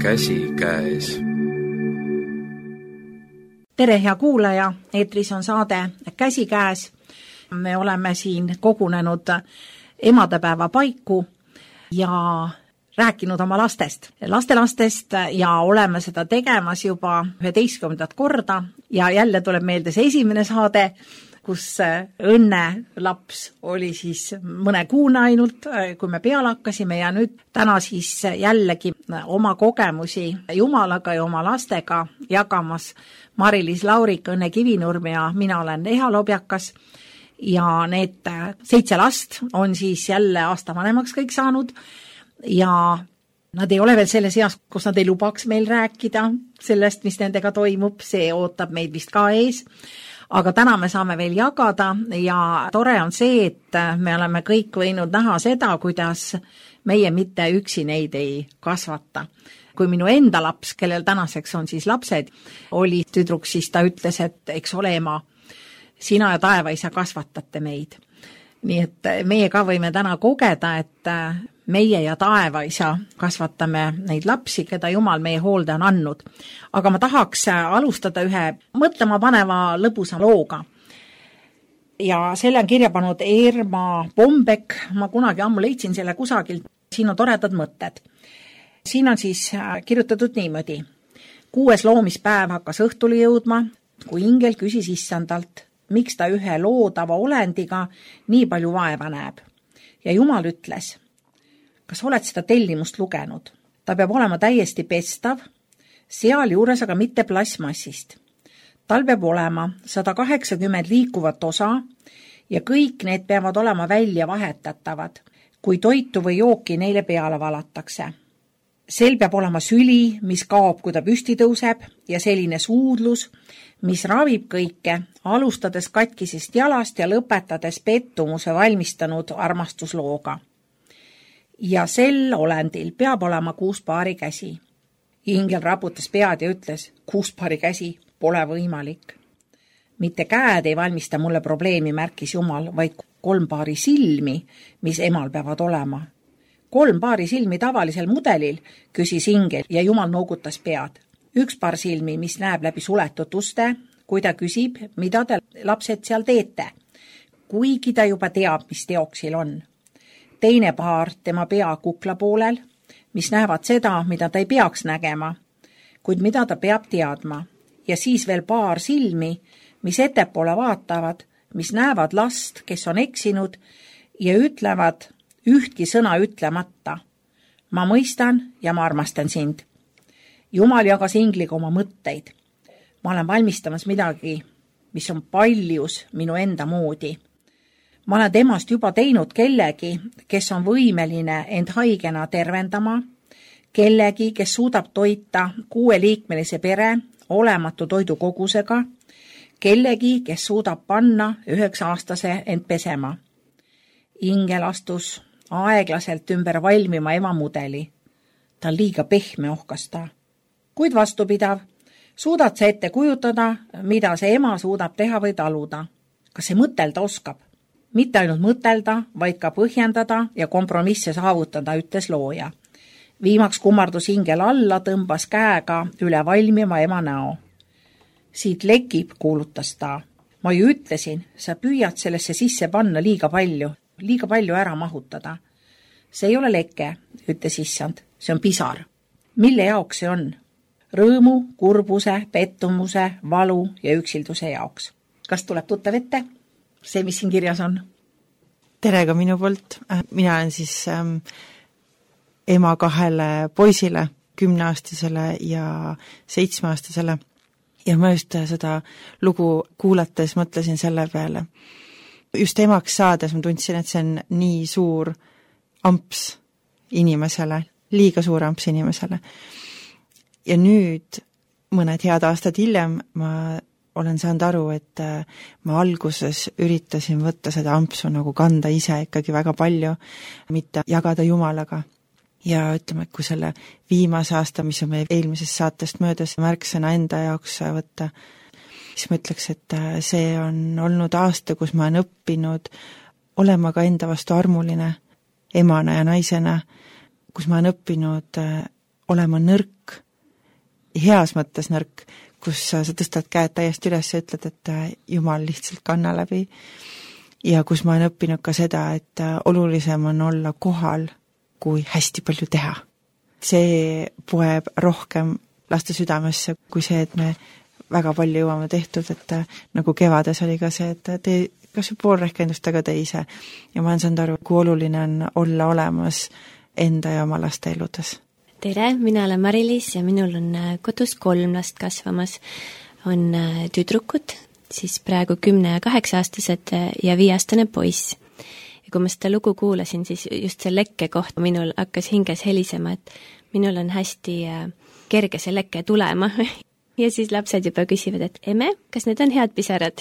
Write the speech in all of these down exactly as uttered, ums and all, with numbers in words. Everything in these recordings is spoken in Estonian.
käsikäes. Tere, hea kuulaja, eetris on saade Käsikäes. Me oleme siin kogunenud emadepäeva paiku ja rääkinud oma lastest, lastelastest ja oleme seda tegemas juba üheteistkümnendat korda ja jälle tuleb meelde see esimene saade, kus Õnne laps oli siis mõne kuune ainult, kui me peale hakkasime ja nüüd täna siis jällegi oma kogemusi Jumalaga ja oma lastega jagamas Mari-Liis Laurik, Õnne Kivinurm ja mina olen Eha Lobjakas ja need seitse last on siis jälle aasta vanemaks kõik saanud ja nad ei ole veel selles eas, kus nad ei lubaks meil rääkida sellest, mis nendega toimub, see ootab meid vist ka ees. Aga täna me saame veel jagada ja tore on see, et me oleme kõik võinud näha seda, kuidas meie mitte üksi neid ei kasvata. Kui minu enda laps, kellel tänaseks on siis lapsed, oli tüdruk, siis ta ütles, et eks ole ema, sina ja taevaisa kasvatate meid. Nii et meie ka võime täna kogeda, et meie ja taevaisa kasvatame neid lapsi, keda Jumal meie hoolde on andnud. Aga ma tahaks alustada ühe mõtlema paneva lõbusa looga. Ja selle on kirja pannud Erma Bombek, ma kunagi ammu leidsin selle kusagilt, siin on toredad mõtted. Siin on siis kirjutatud niimoodi. Kuues loomispäev hakkas õhtuli jõudma, kui ingel küsis issandalt, miks ta ühe loodava olendiga nii palju vaeva näeb. Ja Jumal ütles, kas oled seda tellimust lugenud? Ta peab olema täiesti pestav, seal juures aga mitte plasmassist. Tal peab olema sada kaheksakümmend liikuvat osa ja kõik need peavad olema välja vahetatavad, kui toitu või jooki neile peale valatakse. Sel peab olema süli, mis kaob, kui ta püsti tõuseb ja selline suudlus, mis ravib kõike, alustades katkisest jalast ja lõpetades pettumuse valmistanud armastuslooga. Ja sel olendil peab olema kuus paari käsi. Ingel raputas pead ja ütles, kuus paari käsi pole võimalik. Mitte käed ei valmista mulle probleemi, märkis Jumal, vaid kolm paari silmi, mis emal peavad olema. Kolm paari silmi tavalisel mudelil, küsis ingel ja Jumal noogutas pead. Üks paar silmi, mis näeb läbi suletud uste, kui ta küsib, mida te lapsed seal teete, kuigi ta juba teab, mis teoksil on. Teine paar tema pea kukla poolel, mis näevad seda, mida ta ei peaks nägema, kuid mida ta peab teadma. Ja siis veel paar silmi, mis ettepoole vaatavad, mis näevad last, kes on eksinud ja ütlevad ühtki sõna ütlemata. Ma mõistan ja ma armastan sind. Jumal jagas ingliga oma mõtteid. Ma olen valmistamas midagi, mis on paljus minu enda moodi. Ma olen temast juba teinud kellegi, kes on võimeline end haigena tervendama, kellegi, kes suudab toita kuueliikmelise pere olematu toidukogusega, kellegi, kes suudab panna üheksa aastase end pesema. Ingel astus aeglaselt ümber valmima ema mudeli. Ta on liiga pehme ohkasta. Kuid vastupidav, suudad sa ette kujutada, mida see ema suudab teha või taluda. Kas see mõtelda oskab? Mitte ainult mõtelda, vaid ka põhjendada ja kompromisse saavutada, ütles looja. Viimaks kummardus ingel alla, tõmbas käega üle valmima ema näo. Siit lekib, kuulutas ta. Ma ju ütlesin, sa püüad sellesse sisse panna liiga palju, liiga palju ära mahutada. See ei ole leke, ütles issand, see on pisar. Mille jaoks see on? Rõõmu, kurbuse, pettumuse, valu ja üksilduse jaoks. Kas tuleb tuttav ette? See, mis siin kirjas on? Tere ka minu poolt. Mina olen siis ähm, ema kahele poisile, kümneaastasele ja seitsmeaastasele. Ja ma just seda lugu kuulates mõtlesin selle peale. Just emaks saades ma tundsin, et see on nii suur amps inimesele, liiga suur amps inimesele. Ja nüüd, mõned head aastad hiljem, ma olen saanud aru, et ma alguses üritasin võtta seda ampsu nagu kanda ise ikkagi väga palju, mitte jagada Jumalaga. Ja ütleme, et kui selle viimase aasta, mis on meie eelmisest saatest möödas, märksõna enda jaoks võtta, siis ma ütleks, et see on olnud aasta, kus ma olen õppinud olema ka enda vastu armuline, emana ja naisena, kus ma olen õppinud olema nõrk, heas mõttes nõrk, kus sa tõstad käed täiesti üles ja ütled, et Jumal lihtsalt kanna läbi. Ja kus ma olen õppinud ka seda, et olulisem on olla kohal, kui hästi palju teha. See poeb rohkem laste südamesse, kui see, et me väga palju jõuame tehtud, et nagu kevades oli ka see, et tee kas või pool rehkendust, aga tee ise. Ja ma olen saanud aru, kui oluline on olla olemas enda ja oma laste eludes. Tere, mina olen Mari-Liis ja minul on kodus kolm last kasvamas. On tüdrukud, siis praegu kümne ja kaheksa aastased ja viieaastane poiss. Ja kui ma seda lugu kuulasin, siis just see lekke koht minul hakkas hinges helisema, et minul on hästi kerge see lekke tulema. Ja siis lapsed juba küsivad, et emme, kas need on head pisarad?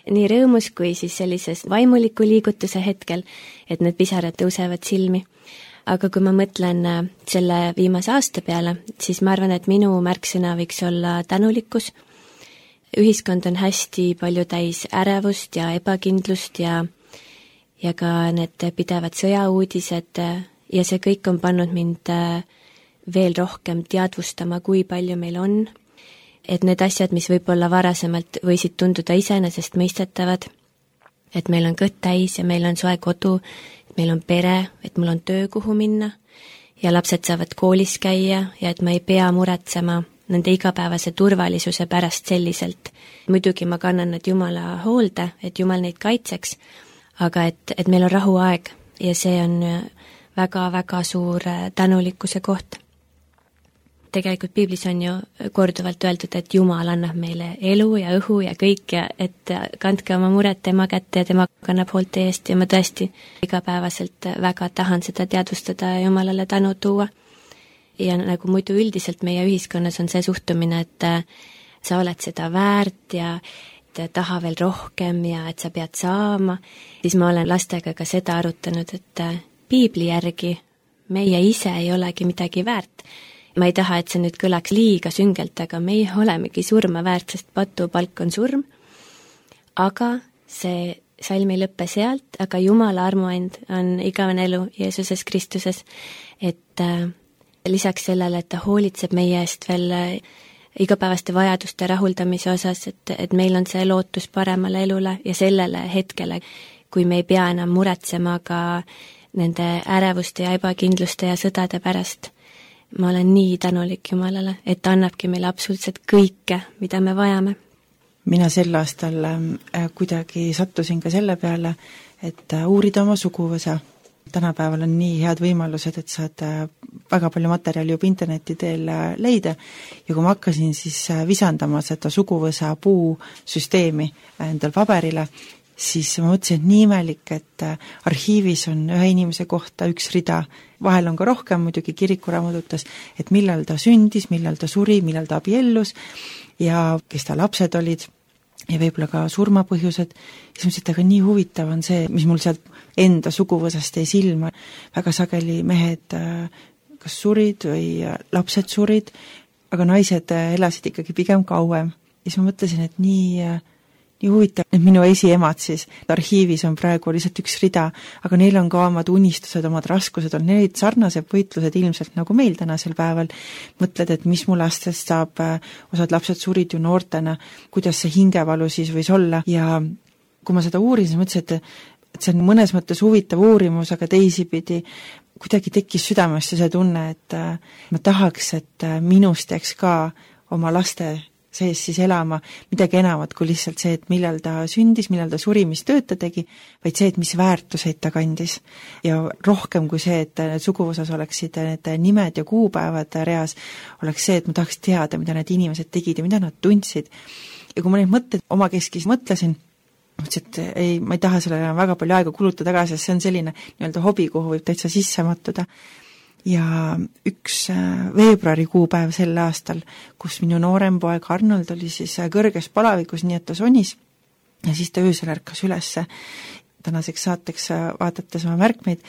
Nii rõõmus kui siis sellises vaimuliku liigutuse hetkel, et need pisarad tõusevad silmi. Aga kui ma mõtlen selle viimase aasta peale, siis ma arvan, et minu märksõna võiks olla tänulikkus. Ühiskond on hästi palju täis ärevust ja ebakindlust ja, ja ka need pidevad sõjauudised ja see kõik on pannud mind veel rohkem teadvustama, kui palju meil on. Et need asjad, mis võib-olla varasemalt võisid tunduda iseenesest mõistetavad, et meil on kõht täis ja meil on soe kodu, et meil on pere, et mul on töö, kuhu minna ja lapsed saavad koolis käia ja et ma ei pea muretsema nende igapäevase turvalisuse pärast selliselt. Muidugi ma kannan nad Jumala hoolde, et Jumal neid kaitseks, aga et, et meil on rahuaeg ja see on väga-väga suur tänulikkuse koht. Tegelikult piiblis on ju korduvalt öeldud, et Jumal annab meile elu ja õhu ja kõik ja et kandke oma muret tema kätte ja tema kannab hoolt eest ja ma tõesti igapäevaselt väga tahan seda teadvustada ja Jumalale tänu tuua. Ja nagu muidu üldiselt meie ühiskonnas on see suhtumine, et sa oled seda väärt ja et taha veel rohkem ja et sa pead saama, siis ma olen lastega ka seda arutanud, et piibli järgi meie ise ei olegi midagi väärt. Ma ei taha, et see nüüd kõlaks liiga süngelt, aga meie olemegi surma väärt, sest patupalk on surm. Aga see salm ei lõppe sealt, aga Jumala armuand on igavene elu Jeesuses Kristuses, et äh, lisaks sellele, et ta hoolitseb meie eest veel äh, igapäevaste vajaduste rahuldamise osas, et, et meil on see lootus paremale elule ja sellele hetkele, kui me ei pea enam muretsema ka nende ärevuste ja ebakindluste ja sõdade pärast. Ma olen nii tänulik Jumalale, et ta annabki meile absoluutselt kõike, mida me vajame. Mina sel aastal äh, kuidagi sattusin ka selle peale, et äh, uurida oma suguvõsa. Tänapäeval on nii head võimalused, et saad äh, väga palju materjali juba interneti teel äh, leida ja kui ma hakkasin siis äh, visandama seda suguvõsa puusüsteemi äh, endal paberile, siis ma mõtlesin, et nii imelik, et arhiivis on ühe inimese kohta üks rida, vahel on ka rohkem muidugi kirikuraamatutes, et millal ta sündis, millal ta suri, millal ta abiellus ja kes ta lapsed olid ja võib-olla ka surmapõhjused. Ja siis mõtlesin, et aga nii huvitav on see, mis mul sealt enda suguvõsast jäi silma. Väga sageli mehed kas surid või lapsed surid, aga naised elasid ikkagi pigem kauem. Ja siis ma mõtlesin, et nii... nii huvitav, et minu esiemad siis arhiivis on praegu lihtsalt üks rida, aga neil on ka omad unistused, omad raskused, on neid sarnased võitlused ilmselt nagu meil tänasel päeval. Mõtled, et mis mu lastest saab, osad lapsed surid ju noortena, kuidas see hingevalu siis võis olla ja kui ma seda uurin, siis mõtlesin, et, et see on mõnes mõttes huvitav uurimus, aga teisipidi kuidagi tekkis südamesse see tunne, et ma tahaks, et minust teeks ka oma laste sees siis elama midagi enamat kui lihtsalt see, et millal ta sündis, millal ta suri, mis tööd ta tegi, vaid see, et mis väärtuseid ta kandis. Ja rohkem kui see, et need suguvõsas oleksid need nimed ja kuupäevad reas, oleks see, et ma tahaks teada, mida need inimesed tegid ja mida nad tundsid. Ja kui ma neid mõtteid omakeskis mõtlesin, mõtlesin, et ei, ma ei taha sellele väga palju aega kulutada tagasi, sest see on selline nii-öelda hobi, kuhu võib täitsa sisse mattuda. Ja üks veebruari kuupäev sel aastal, kus minu noorem poeg Arnold oli siis kõrges palavikus, nii et ta sonis ja siis ta öösel ärkas ülesse. Tänaseks saateks vaadates oma märkmeid,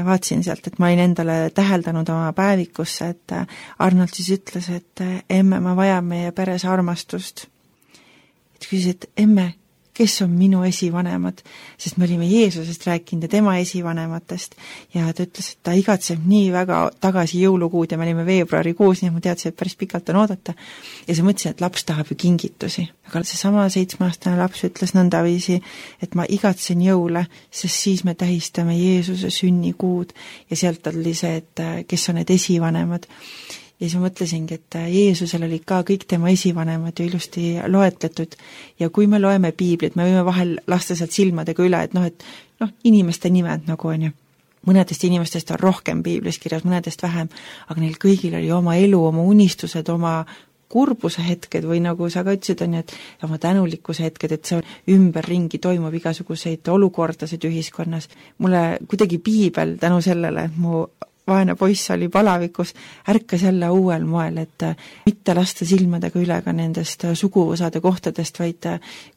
vaatsin sealt, et ma olin endale täheldanud oma päevikusse, et Arnold siis ütles, et emme, ma vajan meie peres armastust. Et küsis, et emme, kes on minu esivanemad, sest me olime Jeesusest rääkinud ja tema esivanematest ja ta ütles, et ta igatseb nii väga tagasi jõulukuud ja me olime veebruarikuus, nii ma teadsin, et päris pikalt on oodata. Ja siis mõtlesin, et laps tahab ju kingitusi. Aga see sama seitsmeaastane laps ütles nõndaviisi, et ma igatsen jõule, sest siis me tähistame Jeesuse sünnikuud ja sealt oli see, et kes on need esivanemad. Ja siis ma mõtlesingi, et Jeesusel oli ka kõik tema esivanemad ju ilusti loetletud ja kui me loeme piiblit, me võime vahel lasta sealt silmadega üle, et noh, et noh, inimeste nimed nagu on ju. Mõnedest inimestest on rohkem piiblis kirjas, mõnedest vähem, aga neil kõigil oli oma elu, oma unistused, oma kurbuse hetked või nagu sa ka ütlesid, on ju, et oma tänulikkuse hetked, et see ümberringi toimub igasuguseid olukordasid ühiskonnas. Mulle kuidagi piibel tänu sellele, et mu vaene poiss oli palavikus, ärkas jälle uuel moel, et mitte lasta silmadega üle ka nendest suguvõsade kohtadest, vaid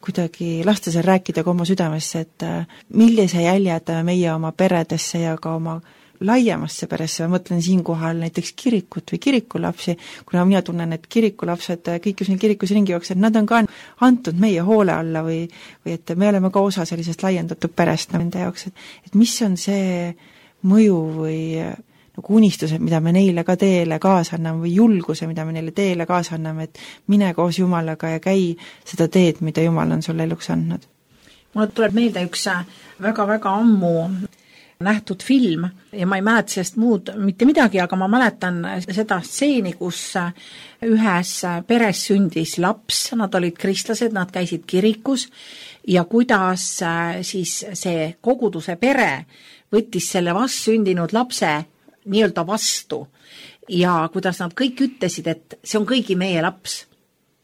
kuidagi lasta seal rääkida ka oma südamesse, et millise jälje jätame meie oma peredesse ja ka oma laiemasse peresse, ma mõtlen siinkohal näiteks kirikut või kirikulapsi, kuna mina tunnen, et kirikulapsed, kõik just neil kirikus ringi jooksed, nad on ka antud meie hoole alla või, või et me oleme ka osa sellisest laiendatud perest nende jaoks, et, et mis on see mõju või nagu unistused, mida me neile ka teele kaasa anname või julguse, mida me neile teele kaasa anname, et mine koos Jumalaga ja käi seda teed, mida Jumal on sulle eluks andnud. Mulle tuleb meelde üks väga-väga ammu nähtud film ja ma ei mäleta sellest muud mitte midagi, aga ma mäletan seda stseeni, kus ühes peres sündis laps, nad olid kristlased, nad käisid kirikus ja kuidas siis see koguduse pere võttis selle vastsündinud lapse nii-öelda vastu ja kuidas nad kõik ütlesid, et see on kõigi meie laps.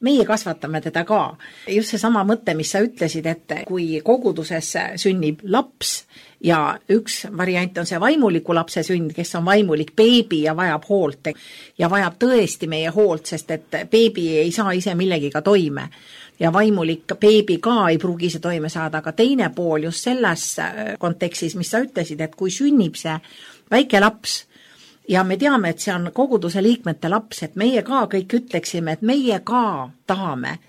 Meie kasvatame teda ka. Just see sama mõte, mis sa ütlesid, et kui koguduses sünnib laps ja üks variant on see vaimuliku lapse sünd, kes on vaimulik beebi ja vajab hoolt ja vajab tõesti meie hoolt, sest et beebi ei saa ise millegiga toime ja vaimulik beebi ka ei pruugi ise toime saada, aga teine pool just selles kontekstis, mis sa ütlesid, et kui sünnib see väike laps ja me teame, et see on koguduse liikmete laps, et meie ka kõik ütleksime, et meie ka tahame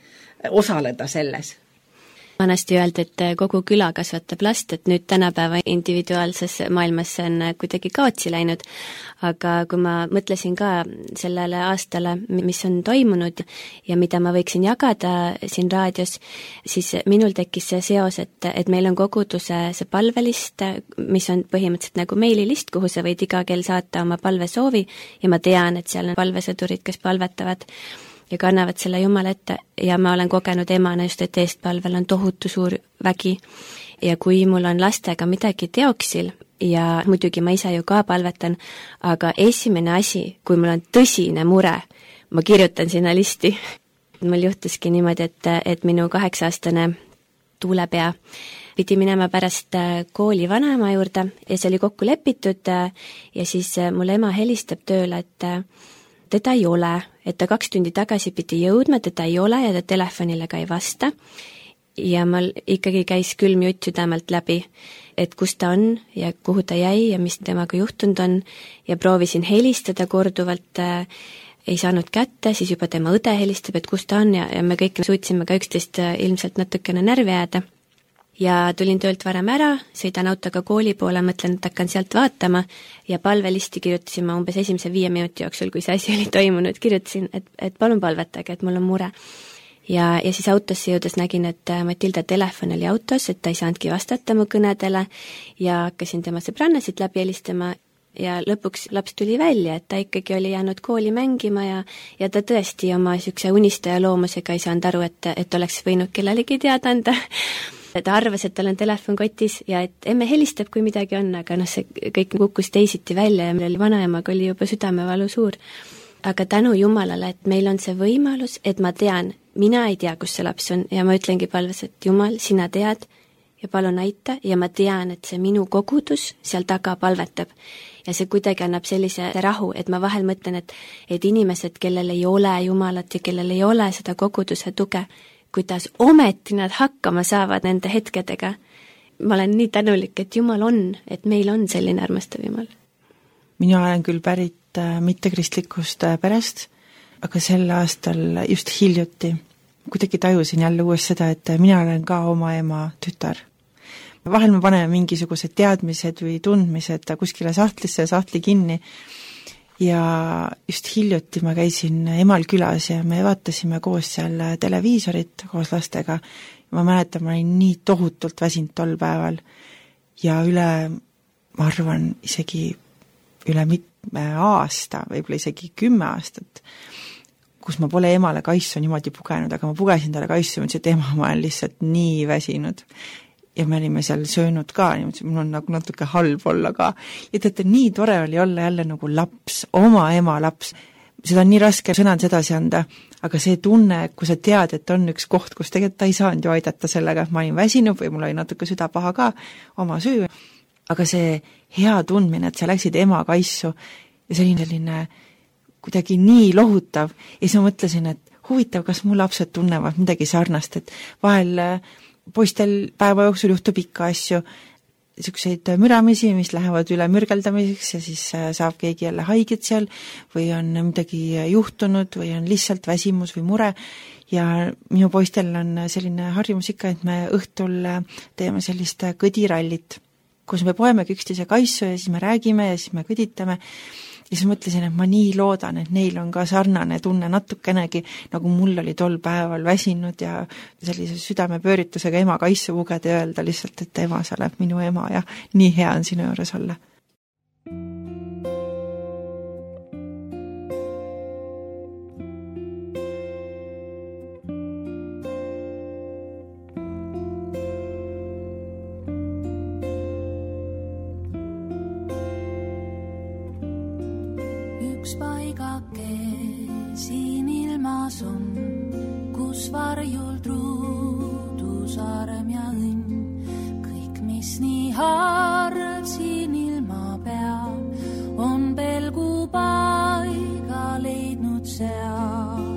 osaleda selles. Vanasti öeldi, et kogu küla kasvatab last, et nüüd tänapäeva individuaalses maailmas see on kuidagi kaotsi läinud, aga kui ma mõtlesin ka sellele aastale, mis on toimunud ja mida ma võiksin jagada siin raadios, siis minul tekkis see seos, et, et meil on koguduse see palvelist, mis on põhimõtteliselt nagu meililist, kuhu sa võid iga kell saata oma palvesoovi ja ma tean, et seal on palvesõdurid, kes palvetavad ja kannavad selle Jumala ette ja ma olen kogenud emana just, et eestpalvel on tohutu suur vägi ja kui mul on lastega midagi teoksil ja muidugi ma ise ju ka palvetan, aga esimene asi, kui mul on tõsine mure, ma kirjutan sinna listi. Mul juhtuski niimoodi, et, et minu kaheksa-aastane tuulepea pidi minema pärast kooli vanaema juurde ja see oli kokku lepitud ja siis mul ema helistab tööle, et teda ei ole, et ta kaks tundi tagasi pidi jõudma, teda ei ole ja ta telefonile ka ei vasta. Ja mul ikkagi käis külm jutt südamelt läbi, et kus ta on ja kuhu ta jäi ja mis temaga juhtunud on ja proovisin helistada korduvalt, ei saanud kätte, siis juba tema õde helistab, et kus ta on ja, ja me kõik suutsime ka üksteist ilmselt natukene närvi jääda. Ja tulin töölt varem ära, sõidan autoga kooli poole, mõtlen, et hakkan sealt vaatama ja palvelisti kirjutasin ma umbes esimese viie minuti jooksul, kui see asi oli toimunud, kirjutasin, et, et palun palvetage, et mul on mure. Ja, ja siis autosse jõudes nägin, et Matilda telefon oli autos, et ta ei saanudki vastata mu kõnedele ja hakkasin tema sõbrannasid läbi helistama ja lõpuks laps tuli välja, et ta ikkagi oli jäänud kooli mängima ja, ja ta tõesti oma niisuguse unistaja loomusega ei saanud aru, et, et oleks võinud kellelegi teada anda. Ta arvas, et tal on telefon kotis ja et emme helistab, kui midagi on, aga noh, see kõik kukkus teisiti välja ja meil oli vanaemaga oli juba südamevalu suur. Aga tänu Jumalale, et meil on see võimalus, et ma tean, mina ei tea, kus see laps on ja ma ütlengi palves, et Jumal, sina tead ja palun aita ja ma tean, et see minu kogudus seal taga palvetab. Ja see kuidagi annab sellise rahu, et ma vahel mõtlen, et, et inimesed, kellel ei ole Jumalat ja kellel ei ole seda koguduse tuge, kuidas ometi nad hakkama saavad nende hetkedega. Ma olen nii tänulik, et Jumal on, et meil on selline armastav Jumal. Mina olen küll pärit mittekristlikust perest, aga sel aastal just hiljuti kuidagi tajusin jälle uues seda, et mina olen ka oma ema tütar. Vahel me paneme mingisugused teadmised või tundmised kuskile sahtlisse ja sahtli kinni ja just hiljuti ma käisin emal külas ja me vaatasime koos seal televiisorit koos lastega. Ma mäletan, ma olin nii tohutult väsinud tol päeval ja üle, ma arvan, isegi üle mitme aasta, võib-olla isegi kümme aastat, kus ma pole emale kaisu niimoodi pugenud, aga ma pugesin talle kaisu ja mõtlesin, et ema, ma olen lihtsalt nii väsinud. Ja me olime seal söönud ka, niimoodi, mul on nagu natuke halb olla ka. Ja teate, nii tore oli olla jälle nagu laps, oma ema laps. Seda on nii raske sõnad edasi anda, aga see tunne, kui sa tead, et on üks koht, kus tegelikult ta ei saanud ju aidata sellega, ma olin väsinud või mul oli natuke süda paha ka, oma süü. Aga see hea tundmine, et sa läksid ema kaisu ja see oli selline kuidagi nii lohutav ja siis ma mõtlesin, et huvitav, kas mu lapsed tunnevad midagi sarnast, et vahel poistel päeva jooksul juhtub ikka asju, niisuguseid müramisi, mis lähevad üle mürgeldamiseks ja siis saab keegi jälle haiget seal või on midagi juhtunud või on lihtsalt väsimus või mure ja minu poistel on selline harjumus ikka, et me õhtul teeme sellist kõdirallit, kus me poemegi üksteise kaisu ja siis me räägime ja siis me kõditame. Ja siis mõtlesin, et ma nii loodan, et neil on ka sarnane tunne natukenegi, nagu mul oli tol päeval väsinud ja sellise südamepööritusega ema kaisu pugeda ja öelda lihtsalt, et ema, sa oled minu ema ja nii hea on sinu juures olla. Üks paigake siin ilmas on, kus varjul truudusarm ja õnn. Kõik, mis nii harv siin ilma peal, on pelgu paiga leidnud seal.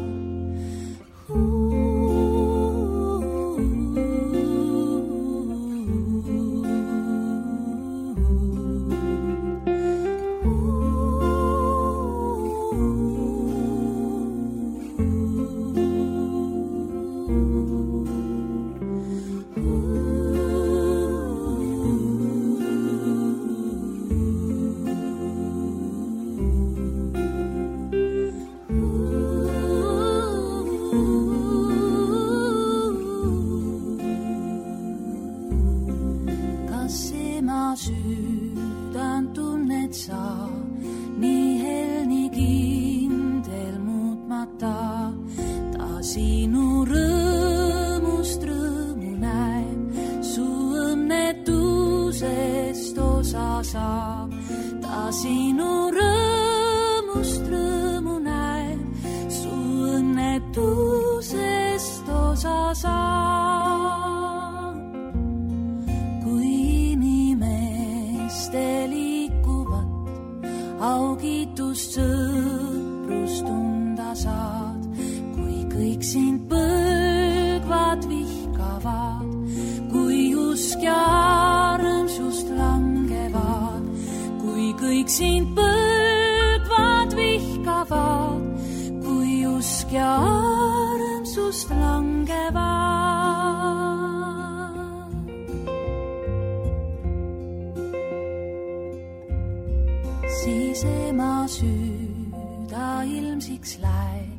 Siis ema süüda ilmsiks läheb,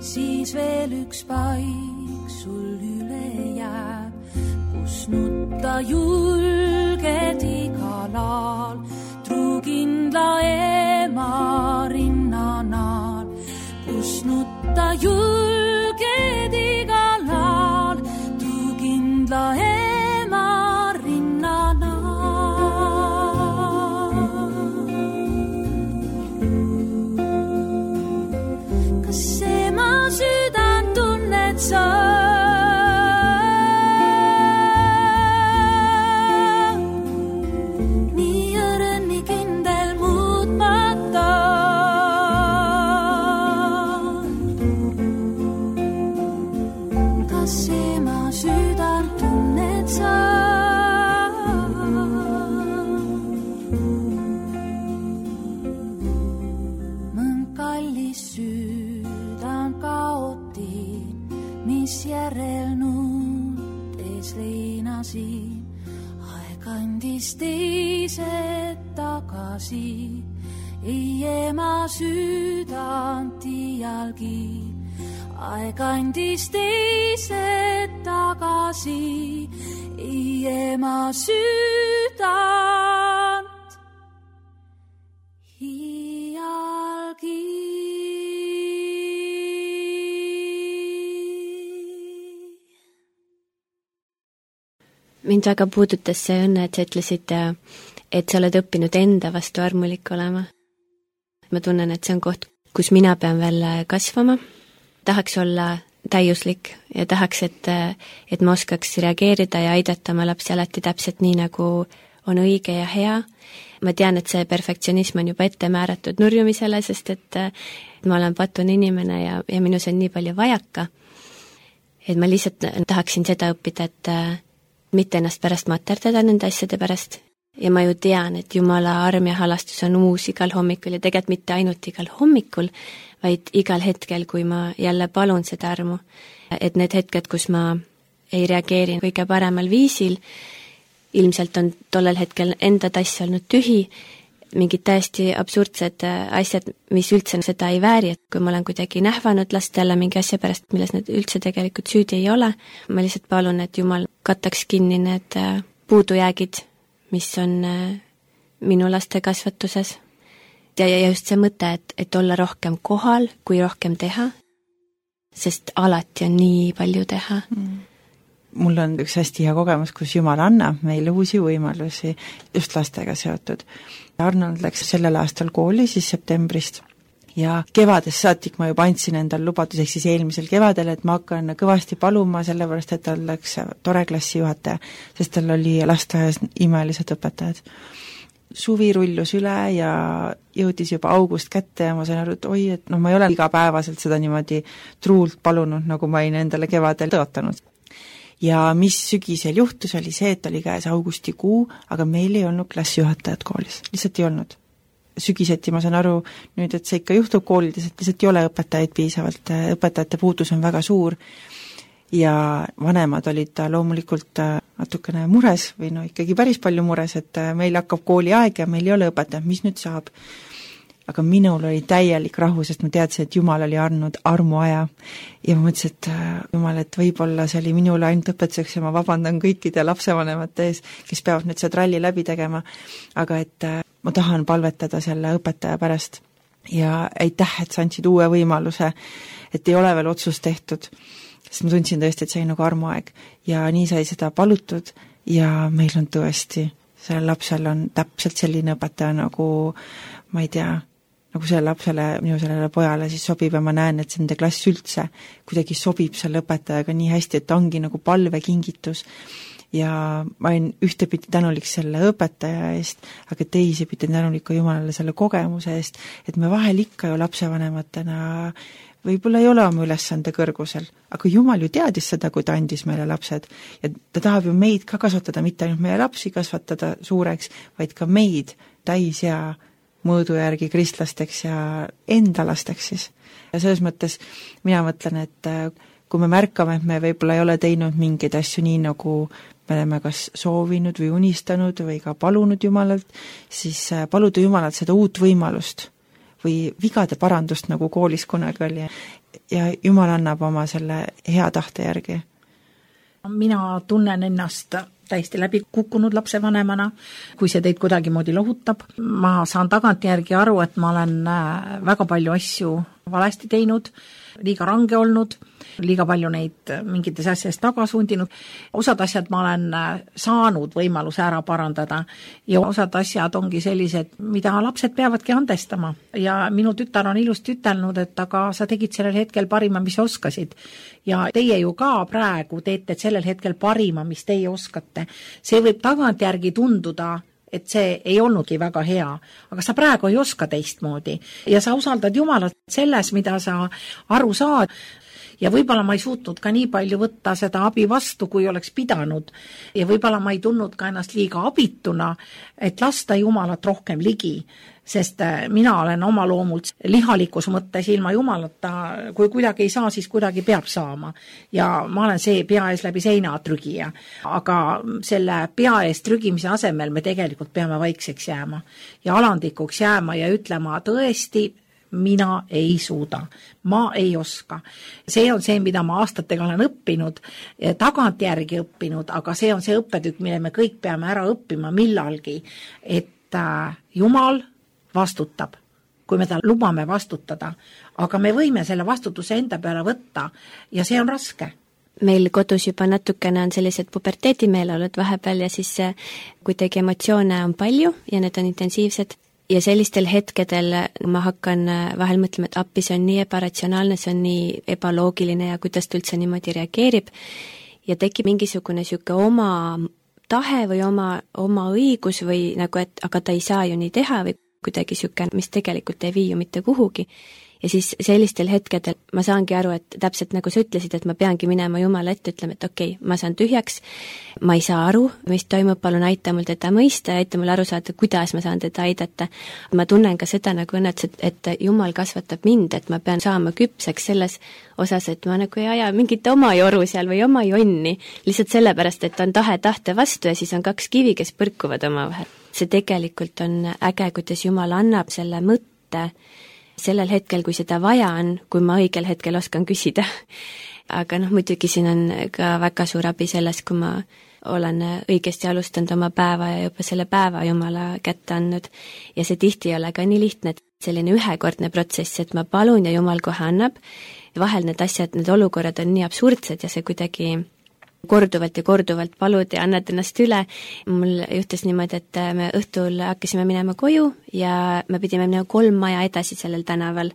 siis veel üks paik sul üle jääb, kus nutta julged igal aal, truukindla ema rinnanaal, kus nutta julged igal aal, truukindla ema rinnanaal. Sa nii õrn, nii kindel muutmata. Kas ema südant tunne järel nuutes leinasin, aeg andis teised tagasi, ei ema südant iialgi. Aeg andis teised tagasi, ei ema südant iialgi. Mind väga puudutas see õnne, et sa ütlesid, et sa oled õppinud enda vastu armulik olema. Ma tunnen, et see on koht, kus mina pean veel kasvama. Tahaks olla täiuslik ja tahaks, et, et ma oskaks reageerida ja aidata oma lapsi alati täpselt nii, nagu on õige ja hea. Ma tean, et see perfektsionism on juba ette määratud nurjumisele, sest et ma olen patun inimene ja, ja minus on nii palju vajaka. Et ma lihtsalt tahaksin seda õppida, et mitte ennast pärast materdada nende asjade pärast. Ja ma ju tean, et Jumala arm ja halastus on uus igal hommikul ja tegelikult mitte ainult igal hommikul, vaid igal hetkel, kui ma jälle palun seda armu. Et need hetked, kus ma ei reageeri kõige paremal viisil, ilmselt on tollel hetkel enda tass olnud tühi, mingid täiesti absurdsed asjad, mis üldse seda ei vääri, et kui ma olen kuidagi nähvanud lastele mingi asja pärast, milles nad üldse tegelikult süüdi ei ole, ma lihtsalt palun, et Jumal kattaks kinni need puudujäägid, mis on minu laste kasvatuses. Ja, ja just see mõte, et, et olla rohkem kohal, kui rohkem teha, sest alati on nii palju teha. Mm. Mul on üks hästi hea kogemus, kus Jumal annab meile uusi võimalusi just lastega seotud. Arnold läks sellel aastal kooli siis septembrist ja kevadest saatik ma juba andsin endal lubaduseks siis eelmisel kevadel, et ma hakkan kõvasti paluma, sellepärast et tal läks tore klassijuhataja, sest tal oli lasteaias imelised õpetajad. Suvi rullus üle ja jõudis juba august kätte ja ma sain aru, et oi, et no ma ei ole igapäevaselt seda niimoodi truult palunud, nagu ma olin endale kevadel tõotanud. Ja mis sügisel juhtus, oli see, et oli käes augustikuu, aga meil ei olnud klassijuhatajad koolis, lihtsalt ei olnud. Sügiseti ma saan aru nüüd, et see ikka juhtub koolides, et lihtsalt ei ole õpetajaid piisavalt, õpetajate puudus on väga suur ja vanemad olid loomulikult natukene mures või no ikkagi päris palju mures, et meil hakkab kooliaeg ja meil ei ole õpetajad, mis nüüd saab. Aga minul oli täielik rahu, sest ma teadsin, et Jumal oli andnud armuaja ja ma mõtlesin, et Jumal, et võib-olla see oli minule ainult õpetuseks ja ma vabandan kõikide lapsevanemate ees, kes peavad nüüd see tralli läbi tegema, aga et ma tahan palvetada selle õpetaja pärast ja aitäh, et sa andsid uue võimaluse, et ei ole veel otsust tehtud, sest ma tundsin tõesti, et see oli nagu armuaeg ja nii sai seda palutud ja meil on tõesti, sellel lapsel on täpselt selline õpetaja nagu, ma ei tea, nagu selle lapsele, minu sellele pojale siis sobib ja ma näen, et see nende klass üldse kuidagi sobib selle õpetajaga nii hästi, et ongi nagu palvekingitus ja ma olin ühtepidi tänulik selle õpetaja eest, aga teisipidi tänulik ka Jumalale selle kogemuse eest, et me vahel ikka ju lapsevanematena võib-olla ei ole oma ülesande kõrgusel, aga Jumal ju teadis seda, kui ta andis meile lapsed ja ta tahab ju meid ka kasvatada, mitte ainult meie lapsi kasvatada suureks, vaid ka meid täis ja mõõdu järgi kristlasteks ja enda lasteks siis. Ja selles mõttes mina mõtlen, et kui me märkame, et me võib-olla ei ole teinud mingeid asju nii, nagu me oleme kas soovinud või unistanud või ka palunud Jumalalt, siis paluda Jumalalt seda uut võimalust või vigade parandust, nagu koolis kunagi oli. Ja Jumal annab oma selle hea tahte järgi. Mina tunnen ennast täiesti läbi kukkunud lapsevanemana, kui see teid kuidagi moodi lohutab. Ma saan tagantjärgi aru, et ma olen väga palju asju valesti teinud, liiga range olnud, liiga palju neid mingites asjades tagasundinud. Osad asjad ma olen saanud võimaluse ära parandada ja osad asjad ongi sellised, mida lapsed peavadki andestama. Ja minu tütar on ilusti ütelnud, et aga sa tegid sellel hetkel parima, mis oskasid. Ja teie ju ka praegu teete sellel hetkel parima, mis teie oskate. See võib tagantjärgi tunduda, et see ei olnudki väga hea, aga sa praegu ei oska teistmoodi ja sa usaldad Jumalat selles, mida sa aru saad. ja võib-olla ma ei suutnud ka nii palju võtta seda abi vastu, kui oleks pidanud ja võib-olla ma ei tundnud ka ennast liiga abituna, et lasta Jumalat rohkem ligi, sest mina olen oma loomult lihalikus mõttes ilma Jumalata, kui kuidagi ei saa, siis kuidagi peab saama. Ja ma olen see pea ees läbi seina trügija, aga selle pea ees trügimise asemel me tegelikult peame vaikseks jääma ja alandikuks jääma ja ütlema tõesti, mina ei suuda, ma ei oska. See on see, mida ma aastatega olen õppinud, tagantjärgi õppinud, aga see on see õppetükk, mille me kõik peame ära õppima millalgi, et Jumal vastutab, kui me ta lubame vastutada, aga me võime selle vastutuse enda peale võtta ja see on raske. Meil kodus juba natukene on sellised puberteetimeeleolud vahepeal ja siis kuidagi emotsioone on palju ja need on intensiivsed ja sellistel hetkedel ma hakkan vahel mõtlema, et appi, see on nii ebaratsionaalne, see on nii ebaloogiline ja kuidas ta üldse niimoodi reageerib ja tekib mingisugune siuke oma tahe või oma, oma õigus või nagu, et aga ta ei saa ju nii teha või kuidagi siuke, mis tegelikult ei vii ju mitte kuhugi. Ja siis sellistel hetkedel ma saangi aru, et täpselt nagu sa ütlesid, et ma peangi minema Jumala ette, ütlema, et okei, okay, ma saan tühjaks, ma ei saa aru, mis toimub, palun aita mul teda mõista ja aita mul aru saada, kuidas ma saan teda aidata. Ma tunnen ka seda nagu õnneks, et, et Jumal kasvatab mind, et ma pean saama küpseks selles osas, et ma nagu ei aja mingit oma joru seal või oma jonni, lihtsalt sellepärast, et on tahe tahte vastu ja siis on kaks kivi, kes põrkuvad omavahel. See tegelikult on äge, kuidas Jumal annab selle mõtte sellel hetkel, kui seda vaja on, kui ma õigel hetkel oskan küsida. Aga noh, muidugi siin on ka väga suur abi selles, kui ma olen õigesti alustanud oma päeva ja juba selle päeva Jumala kätte andnud. Ja see tihti ei ole ka nii lihtne, et selline ühekordne protsess, et ma palun ja Jumal kohe annab. Vahel need asjad, need olukorrad on nii absurdsed ja see kuidagi korduvalt ja korduvalt palud ja annad ennast üle. Mul juhtus niimoodi, et me õhtul hakkasime minema koju ja me pidime minema kolm maja edasi sellel tänaval,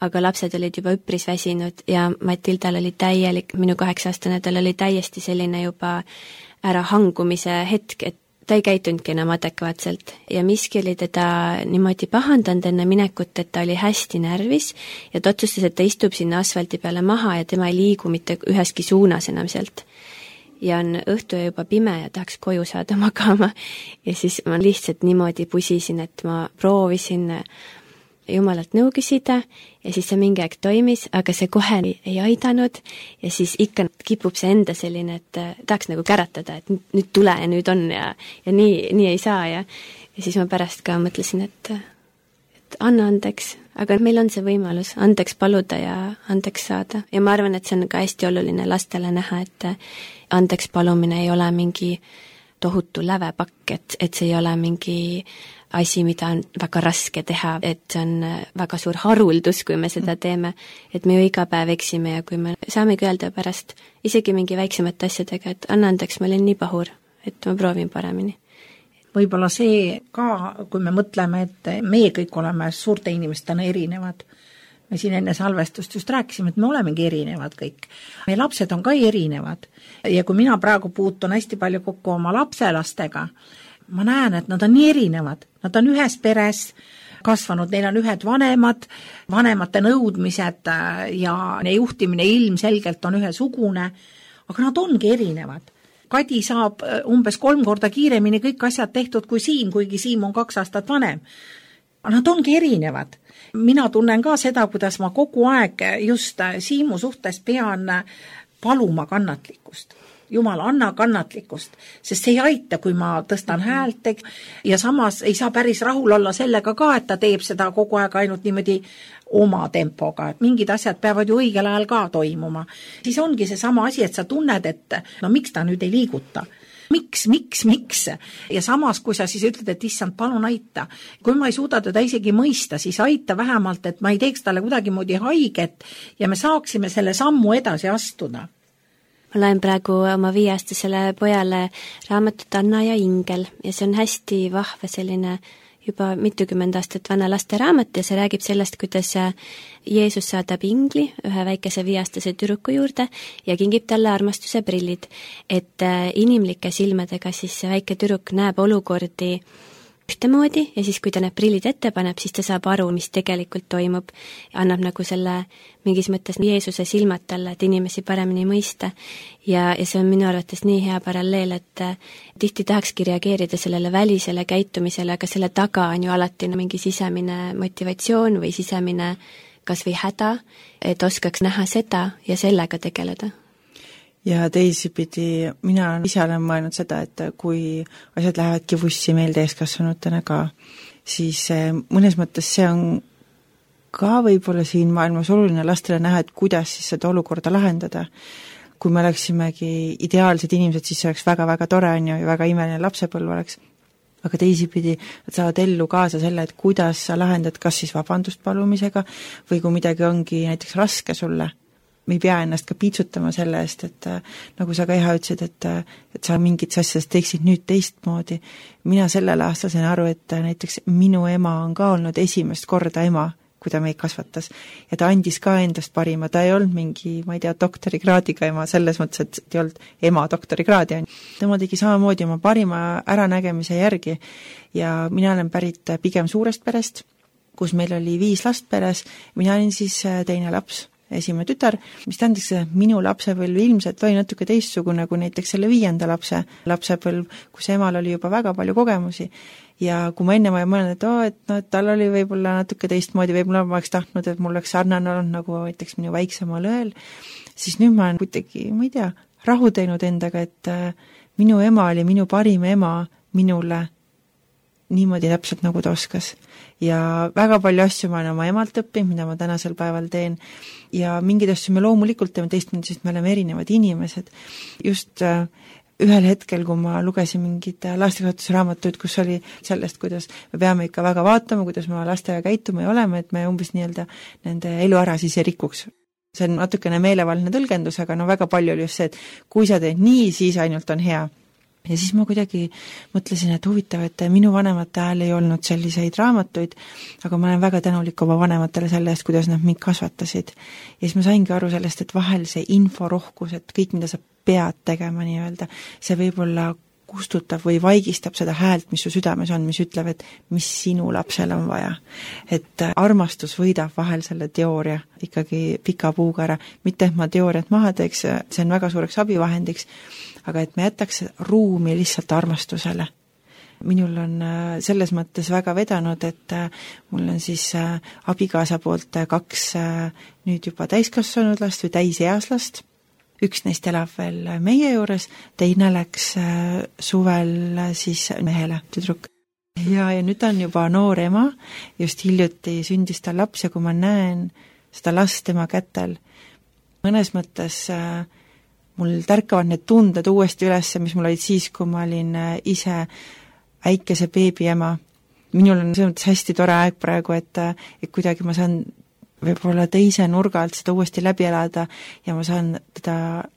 aga lapsed olid juba üpris väsinud ja Matildal oli täielik, minu kaheksa-aastane, tal oli täiesti selline juba ära hangumise hetk, et ta ei käitunudki enam adekvaatselt ja miski oli teda niimoodi pahandanud enne minekut, et ta oli hästi närvis ja ta otsustas, et ta istub sinna asfalti peale maha ja tema ei liigu mitte üheski suunas enam sealt. Ja on õhtu ja juba pime ja tahaks koju saada magama ja siis ma lihtsalt niimoodi pusisin, et ma proovisin Jumalalt nõu küsida ja siis see mingi aeg toimis, aga see kohe ei aidanud ja siis ikka kipub see enda selline, et tahaks nagu käratada, et nüüd tule ja nüüd on ja, ja nii, nii ei saa ja, ja siis ma pärast ka mõtlesin, et, et anna andeks, aga meil on see võimalus andeks paluda ja andeks saada ja ma arvan, et see on ka hästi oluline lastele näha, et andeks palumine ei ole mingi tohutu lävepakk, et, et see ei ole mingi asi, mida on väga raske teha, et see on väga suur haruldus, kui me seda teeme, et me ju iga päev eksime ja kui me saamegi öelda pärast isegi mingi väiksemate asjadega, et anna andeks, ma olin nii pahur, et ma proovin paremini. Võib-olla see ka, kui me mõtleme, et meie kõik oleme suurte inimestena erinevad, me siin enne salvestust just rääkisime, et me olemegi erinevad kõik. Meie lapsed on ka erinevad ja kui mina praegu puutun hästi palju kokku oma lapselastega, ma näen, et nad on nii erinevad. Nad on ühes peres kasvanud, neil on ühed vanemad, vanemate nõudmised ja juhtimine ilmselgelt on ühesugune, aga nad ongi erinevad. Kadi saab umbes kolm korda kiiremini kõik asjad tehtud kui Siim, kuigi Siim on kaks aastat vanem. Nad ongi erinevad. Mina tunnen ka seda, kuidas ma kogu aeg just Siimu suhtes pean paluma kannatlikkust. Jumal, anna kannatlikkust, sest see ei aita, kui ma tõstan häält ja samas ei saa päris rahul olla sellega ka, et ta teeb seda kogu aeg ainult niimoodi oma tempoga, et mingid asjad peavad ju õigel ajal ka toimuma. Siis ongi see sama asi, et sa tunned, et no miks ta nüüd ei liiguta? Miks, miks, miks? Ja samas, kui sa siis ütled, et issand, palun aita. Kui ma ei suuda teda isegi mõista, siis aita vähemalt, et ma ei teeks talle kuidagi moodi haiget ja me saaksime selle sammu edasi astuda. Ma loen praegu oma viieaastasele pojale raamatut Anna ja Ingel ja see on hästi vahva selline juba mitukümmend aastat vana lasteraamat ja see räägib sellest, kuidas Jeesus saadab ingli ühe väikese viieaastase tüdruku juurde ja kingib talle armastuse prillid, et inimlike silmadega siis see väike tüdruk näeb olukordi ühtemoodi ja siis, kui ta need prillid ette paneb, siis ta saab aru, mis tegelikult toimub. Annab nagu selle mingis mõttes Jeesuse silmad talle, et inimesi paremini mõista. Ja, ja see on minu arvates nii hea paralleel, et tihti tahakski reageerida sellele välisele käitumisele, aga selle taga on ju alati mingi sisemine motivatsioon või sisemine kas või häda, et oskaks näha seda ja sellega tegeleda. Ja teisipidi, mina ise olen mõelnud seda, et kui asjad lähevadki vussi meil täiskasvanutena ka, siis mõnes mõttes see on ka võib-olla siin maailmas oluline lastele näha, et kuidas siis seda olukorda lahendada. Kui me oleksimegi ideaalsed inimesed, siis see oleks väga-väga tore on ju, ja väga imeline lapsepõlv oleks. Aga teisipidi, et saavad ellu kaasa selle, et kuidas sa lahendad kas siis vabandust palumisega või kui midagi ongi näiteks raske sulle. Me ei pea ennast ka piitsutama selle eest, et nagu sa ka iha ütlesid, et, et sa mingid asjadest teeksid nüüd teistmoodi. Mina sellel aastal sain aru, et näiteks minu ema on ka olnud esimest korda ema, kui ta meid kasvatas. Ja ta andis ka endast parima, ta ei olnud mingi, ma ei tea, doktorikraadiga ema, selles mõttes, et ei olnud ema doktorikraadi. Tema tegi samamoodi oma parima äranägemise järgi ja mina olen pärit pigem suurest perest, kus meil oli viis last peres, mina olin siis teine laps. Esimene tütar, mis tähendaks, et minu lapsepõlv ilmselt oli natuke teistsugune kui näiteks selle viienda lapse lapsepõlv, kus emal oli juba väga palju kogemusi. Ja kui ma enne ma ei mõelnud, et, oh, et, no, et tal oli võib-olla natuke teistmoodi, võib-olla ma oleks tahtnud, et mul oleks sarnane olnud nagu näiteks minu väiksemal õel, siis nüüd ma olen kuidagi, ma ei tea, rahu teinud endaga, et minu ema oli minu parim ema minule niimoodi täpselt nagu ta oskas. Ja väga palju asju ma olen oma emalt õppinud, mida ma tänasel päeval teen ja mingid asju me loomulikult teeme teistmoodi, sest me oleme erinevad inimesed. Just äh, ühel hetkel, kui ma lugesin mingid lastekasvatusraamatuid, kus oli sellest, kuidas me peame ikka väga vaatama, kuidas me lastega käituma ja oleme, et me umbes nii-öelda nende elu ära siis ei rikuks. See on natukene meelevaldne tõlgendus, aga no väga palju oli just see, et kui sa teed nii, siis ainult on hea. Ja siis ma kuidagi mõtlesin, et huvitav, et minu vanemate ajal ei olnud selliseid raamatuid, aga ma olen väga tänulik oma vanematele selle eest, kuidas nad mind kasvatasid. Ja siis ma saingi aru sellest, et vahel see inforohkus, et kõik, mida sa pead tegema nii-öelda, see võib-olla kustutab või vaigistab seda häält, mis su südames on, mis ütleb, et mis sinu lapsel on vaja. Et armastus võidab vahel selle teooria ikkagi pika puuga ära. Mitte, et ma teooriat maha teeks, see on väga suureks abivahendiks, aga et me jätaks ruumi lihtsalt armastusele. Minul on selles mõttes väga vedanud, et mul on siis abikaasa poolt kaks nüüd juba täiskasvanud last või täiseas last. Üks neist elab veel meie juures, teine läks suvel siis mehele, tüdruk. Ja, ja nüüd on juba noor ema, just hiljuti sündis ta laps ja kui ma näen seda last tema kätel, mõnes mõttes mul tärkavad need tunded uuesti üles, mis mul olid siis, kui ma olin ise väikese beebiema. Minul on see hästi tore aeg praegu, et, et kuidagi ma saan võib-olla teise nurga alt seda uuesti läbi elada ja ma saan teda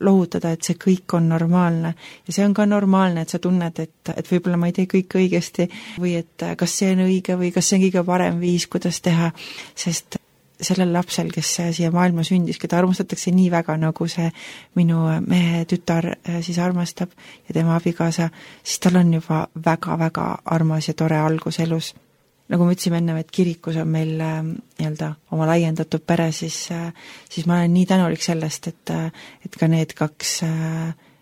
lohutada, et see kõik on normaalne. Ja see on ka normaalne, et sa tunned, et, et võib-olla ma ei tee kõik õigesti või et kas see on õige või kas see on kõige parem viis, kuidas teha, sest sellel lapsel, kes siia maailma sündis, keda armastatakse nii väga, nagu see minu mehe tütar siis armastab ja tema abikaasa, siis tal on juba väga-väga armas ja tore algus elus. Nagu me ütlesime enne, et kirikus on meil nii-öelda oma laiendatud pere, siis, siis ma olen nii tänulik sellest, et, et ka need kaks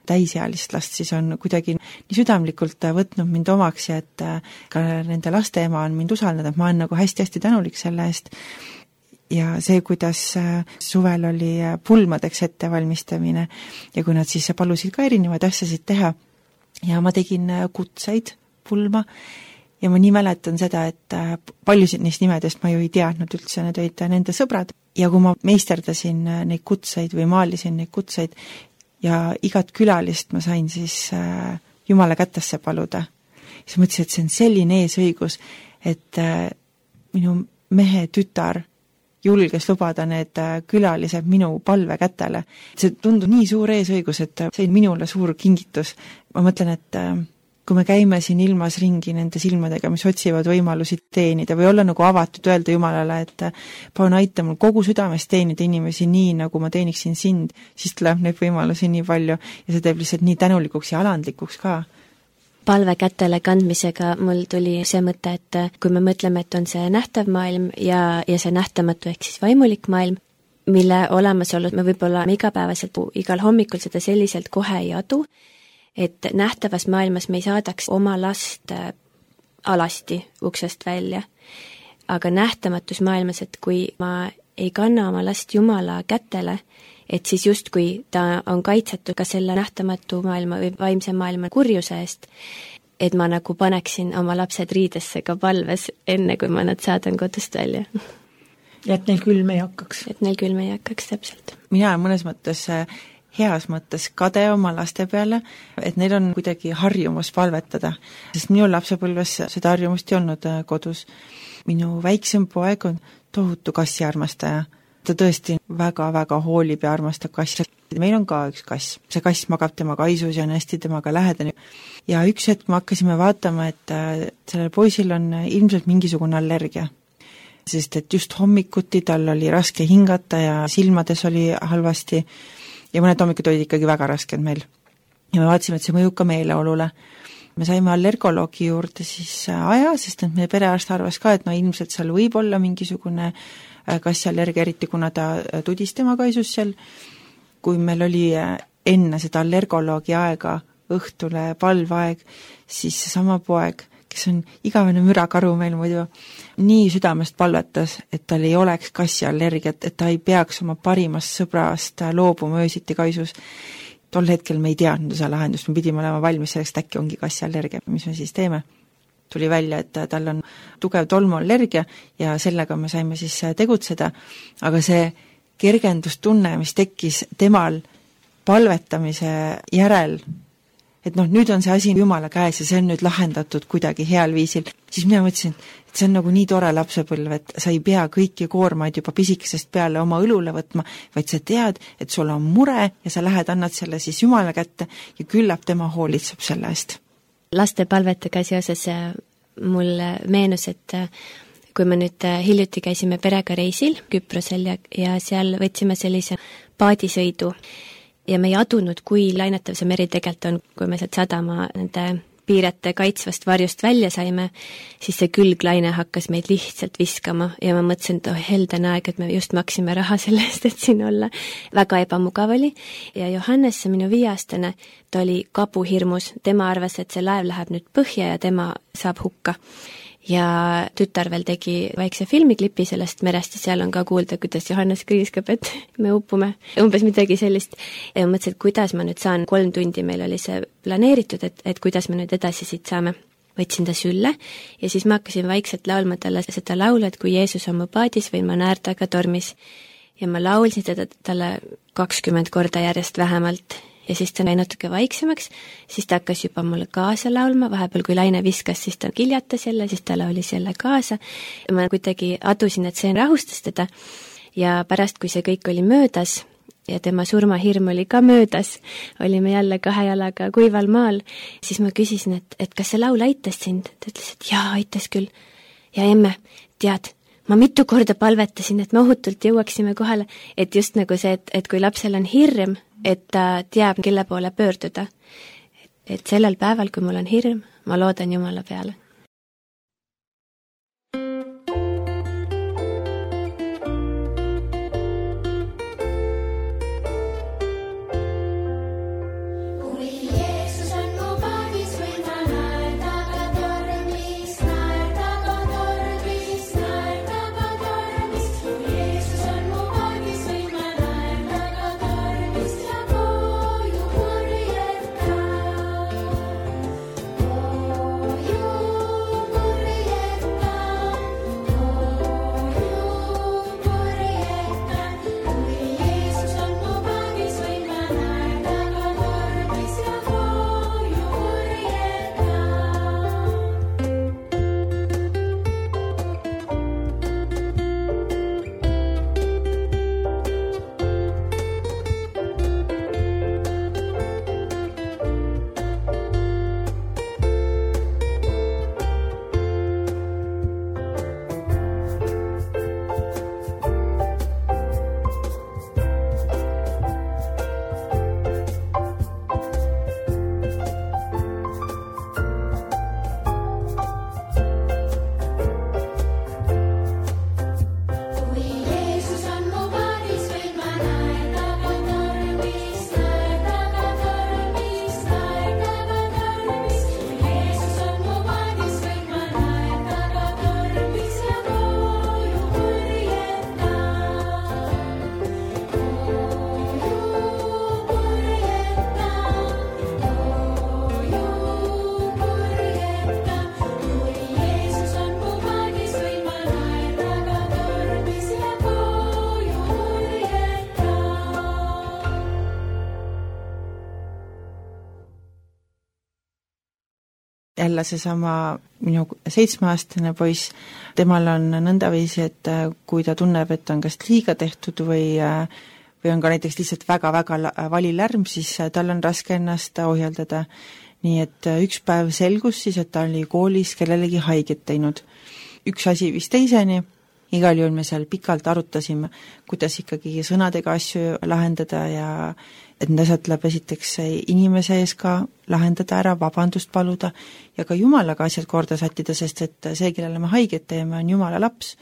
täisealist last siis on kuidagi nii südamlikult võtnud mind omaks ja et ka nende laste ema on mind usaldanud, et ma olen nagu hästi-hästi tänulik selle eest. Ja see, kuidas suvel oli pulmadeks ettevalmistamine ja kui nad siis palusid ka erinevaid asjasid teha ja ma tegin kutseid pulma ja ma nii mäletan seda, et paljusid neist nimedest ma ju ei teadnud üldse, need olid nende sõbrad ja kui ma meisterdasin neid kutseid või maalisin neid kutseid ja igat külalist ma sain siis Jumala kätesse paluda, siis mõtlesin, et see on selline eesõigus, et minu mehe tütar julges lubada need külalised minu palve kätele. See tundub nii suur eesõigus, et see on minule suur kingitus. Ma mõtlen, et kui me käime siin ilmas ringi nende silmadega, mis otsivad võimalusi teenida või olla nagu avatud, öelda Jumalale, et palun aita mul kogu südamest teenida inimesi nii, nagu ma teeniksin sind, siis tuleb neid võimalusi nii palju ja see teeb lihtsalt nii tänulikuks ja alandlikuks ka. palve kätele kandmisega mul tuli see mõte, et kui me mõtleme, et on see nähtav maailm ja, ja see nähtamatu ehk siis vaimulik maailm, mille olemasolu me võib-olla igapäevaselt igal hommikul seda selliselt kohe ei adu, et nähtavas maailmas me ei saadaks oma last alasti uksest välja, aga nähtamatus maailmas, et kui ma ei kanna oma last Jumala kätele, et siis justkui ta on kaitsetud ka selle nähtamatu maailma või vaimse maailma kurjuse eest, et ma nagu paneksin oma lapsed riidesse ka palves, enne kui ma nad saadan kodust välja. Ja et neil külm ei hakkaks. Et neil külm ei hakkaks, täpselt. Mina olen mõnes mõttes, heas mõttes kade oma laste peale, et neil on kuidagi harjumus palvetada, sest minu lapsepõlves seda harjumust ei olnud kodus. Minu väiksem poeg on tohutu kassi armastaja. Ta tõesti väga-väga hoolib ja armastab kassi. Meil on ka üks kass. See kass magab tema kaisus ja on hästi temaga lähedane. Ja üks hetk me hakkasime vaatama, et sellel poisil on ilmselt mingisugune allergia. Sest et just hommikuti tal oli raske hingata ja silmades oli halvasti ja mõned hommikud olid ikkagi väga rasked meil. Ja me vaatasime, et see mõjub ka meeleolule. Me saime allergoloogi juurde siis aja, sest et meie perearst arvas ka, et no ilmselt seal võib olla mingisugune kassiallergia, eriti kuna ta tudis tema kaisus seal. Kui meil oli enne seda allergoloogi aega õhtule palvaeg, siis sama poeg, kes on igavene mürakaru meil muidu, nii südamest palvetas, et tal ei oleks kassiallergiat, et ta ei peaks oma parimast sõbrast loobuma öösiti kaisus. Tol hetkel me ei teadnud seda lahendust, me pidime olema valmis selleks, et äkki ongi kassiallergia, mis me siis teeme. Tuli välja, et tal on tugev tolmuallergia ja sellega me saime siis tegutseda, aga see kergendustunne, mis tekkis temal palvetamise järel, et noh, nüüd on see asi Jumala käes ja see on nüüd lahendatud kuidagi heal viisil, siis mina mõtlesin, et see on nagu nii tore lapsepõlv, et sa ei pea kõiki koormaid juba pisikesest peale oma õlule võtma, vaid sa tead, et sul on mure ja sa lähed, annad selle siis Jumala kätte ja küllap tema hoolitseb selle eest. Laste palvetega seoses mulle meenus, et kui me nüüd hiljuti käisime perega reisil Küprosel ja, ja seal võtsime sellise paadisõidu ja me ei adunud, kui lainetav see meri tegelikult on, kui me sealt sadama nende piirete kaitsvast varjust välja saime, siis see külglaine hakkas meid lihtsalt viskama ja ma mõtlesin, et oh, helden aeg, et me just maksime raha selle eest, et siin olla. Väga ebamugav oli ja Johannes, see minu viieaastane, ta oli kabuhirmus, tema arvas, et see laev läheb nüüd põhja ja tema saab hukka. Ja tütar veel tegi väikse filmiklipi sellest merest ja seal on ka kuulda, kuidas Johannes kriiskab, et me upume. Umbes midagi sellist. Ja mõtlesin, et kuidas ma nüüd saan, kolm tundi meil oli see planeeritud, et, et kuidas me nüüd edasi siit saame. Võtsin ta sülle ja siis ma hakkasin vaikselt laulma talle seda laulu, et kui Jeesus on mu paadis või ma naerdaga tormis. Ja ma laulsin teda talle kakskümmend korda järjest vähemalt. Ja siis ta näi natuke vaiksemaks, siis ta hakkas juba mulle kaasa laulma, vahepeal kui laine viskas, siis ta kiljatas jälle, siis ta laulis jälle kaasa. Ja ma kuidagi adusin, et see rahustas teda ja pärast, kui see kõik oli möödas ja tema surmahirm oli ka möödas, olime jälle kahe jalaga kuival maal, siis ma küsisin, et, et kas see laul aitas sind? Ta ütles, et jaa, aitas küll. Ja emme, tead, ma mitu korda palvetasin, et me ohutult jõuaksime kohale, et just nagu see, et, et kui lapsel on hirm, et ta teab, kelle poole pöörduda. Et sellel päeval, kui mul on hirm, ma loodan Jumala peale. You jälle seesama minu seitsmeaastane poiss, temal on nõndaviisi, et kui ta tunneb, et on kas liiga tehtud või või on ka näiteks lihtsalt väga-väga valilärm, siis tal on raske ennast ohjeldada. Nii et üks päev selgus siis, et ta oli koolis kellelegi haiget teinud. Üks asi vist teiseni, igal juhul me seal pikalt arutasime, kuidas ikkagi sõnadega asju lahendada ja et need asjad tuleb esiteks inimese ees ka lahendada ära, vabandust paluda ja ka Jumalaga asjad korda sättida, sest et see, kellele me haiget teeme, on Jumala laps.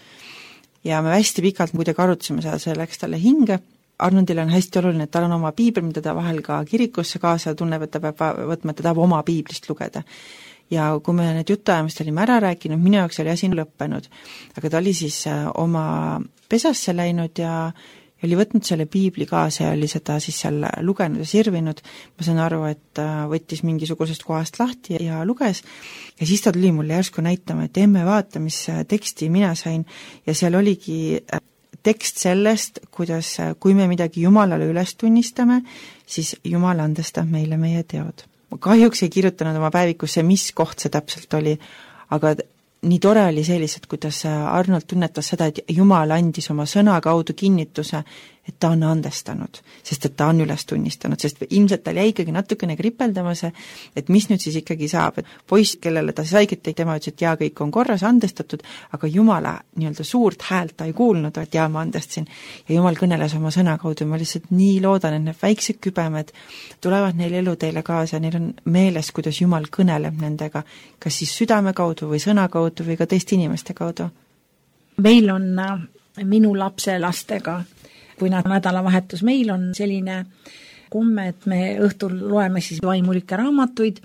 Ja me hästi pikalt kuidagi arutasime seda, see läks talle hinge. Arnoldil on hästi oluline, et tal on oma piibel, mida ta vahel ka kirikusse kaasa tunneb, et ta peab võtma, et ta tahab oma piiblist lugeda. Ja kui me need jutuajamist olime ära rääkinud, minu jaoks oli asi lõppenud. Aga ta oli siis oma pesasse läinud ja oli võtnud selle piibli kaasa ja oli seda siis seal lugenud ja sirvinud. Ma saan aru, et võttis mingisugusest kohast lahti ja luges. Ja siis ta tuli mulle järsku näitama, et emme vaata, mis teksti mina sain. Ja seal oligi tekst sellest, kuidas kui me midagi Jumalale üles tunnistame, siis Jumal andestab meile meie teod. Ma kahjuks ei kirjutanud oma päevikusse, mis koht see täpselt oli, aga nii tore oli sellised, kuidas Arnold tunnetas seda, et Jumal andis oma sõna kaudu kinnituse, et ta on andestanud, sest et ta on üles tunnistanud, sest ilmselt tal jäi ikkagi natukene kripeldama see, et mis nüüd siis ikkagi saab, et poiss, kellele ta saiget tegi, tema ütles, et jaa, kõik on korras, andestatud, aga Jumala nii-öelda suurt häält ta ei kuulnud, et jaa, ma andestasin. Ja Jumal kõneles oma sõna kaudu, ma lihtsalt nii loodan, et need väiksed kübemed tulevad neil elu teile kaasa, neil on meeles, kuidas Jumal kõneleb nendega, kas siis südame kaudu või sõna kaudu või ka teiste inimeste kaudu. Meil on minu lapse lastega, kui nad nädalavahetus, meil on selline komme, et me õhtul loeme siis vaimulikke raamatuid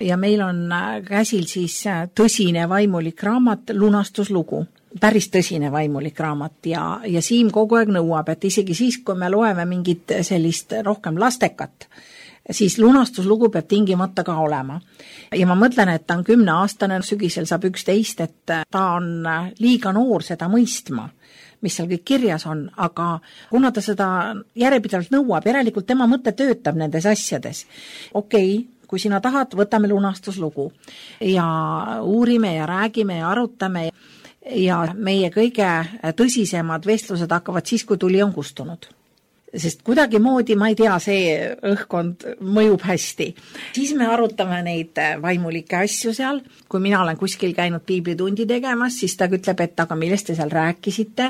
ja meil on käsil siis tõsine vaimulik raamat, lunastuslugu. Päris tõsine vaimulik raamat ja, ja Siim kogu aeg nõuab, et isegi siis, kui me loeme mingit sellist rohkem lastekat, siis lunastuslugu peab tingimata ka olema. Ja ma mõtlen, et ta on kümneaastane, sügisel saab üksteist, et ta on liiga noor seda mõistma, mis seal kõik kirjas on, aga kuna ta seda järjepidevalt nõuab, järelikult tema mõte töötab nendes asjades. Okei, okay, kui sina tahad, võtame lunastuslugu ja uurime ja räägime ja arutame ja meie kõige tõsisemad vestlused hakkavad siis, kui tuli on kustunud. Sest kuidagi moodi, ma ei tea, see õhkkond mõjub hästi. Siis me arutame neid vaimulikke asju seal. Kui mina olen kuskil käinud piiblitundi tegemas, siis ta ütleb, et aga millest te seal rääkisite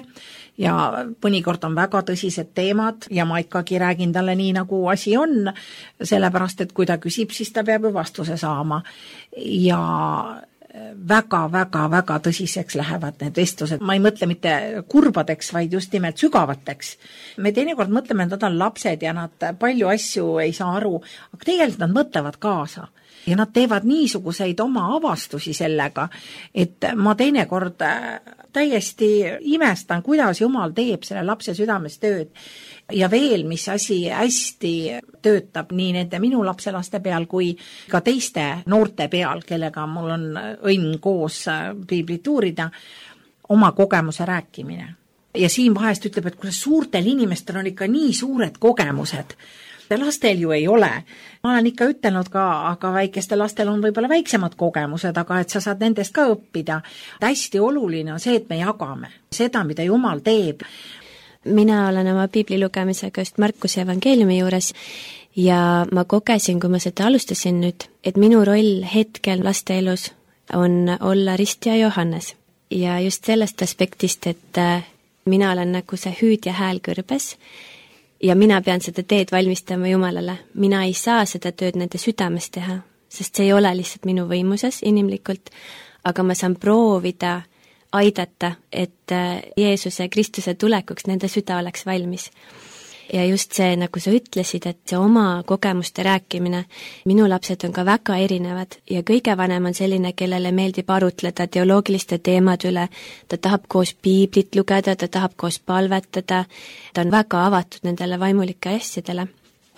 ja mõnikord on väga tõsised teemad ja ma ikkagi räägin talle nii, nagu asi on, sellepärast, et kui ta küsib, siis ta peab ju vastuse saama. Ja väga-väga-väga tõsiseks lähevad need vestlused. Ma ei mõtle mitte kurbadeks, vaid just nimelt sügavateks. Me teinekord mõtleme, et nad on lapsed ja nad palju asju ei saa aru, aga tegelikult nad mõtlevad kaasa. Ja nad teevad niisuguseid oma avastusi sellega, et ma teinekord täiesti imestan, kuidas Jumal teeb selle lapse südames tööd. Ja veel, mis asi hästi töötab nii nende minu lapselaste peal kui ka teiste noorte peal, kellega mul on õnn koos piiblit uurida, oma kogemuse rääkimine. Ja siin vahest ütleb, et kui suurtel inimestel on ikka nii suured kogemused, lastel ju ei ole. Ma olen ikka ütelnud ka, aga väikestel lastel on võib-olla väiksemad kogemused, aga et sa saad nendest ka õppida. Hästi oluline on see, et me jagame seda, mida Jumal teeb. Mina olen oma piibli lugemisega just Markuse evangeeliumi juures ja ma kogesin, kui ma seda alustasin nüüd, et minu roll hetkel laste elus on olla Rist ja Johannes. Ja just sellest aspektist, et mina olen nagu see hüüdja hääl kõrbes ja mina pean seda teed valmistama Jumalale. Mina ei saa seda tööd nende südames teha, sest see ei ole lihtsalt minu võimuses inimlikult, aga ma saan proovida aidata, et Jeesuse Kristuse tulekuks nende süda oleks valmis. Ja just see, nagu sa ütlesid, et see oma kogemuste rääkimine, minu lapsed on ka väga erinevad ja kõige vanem on selline, kellele meeldib arutleda teoloogiliste teemad üle, ta tahab koos piiblit lugeda, ta tahab koos palvetada, ta on väga avatud nendele vaimulike asjadele.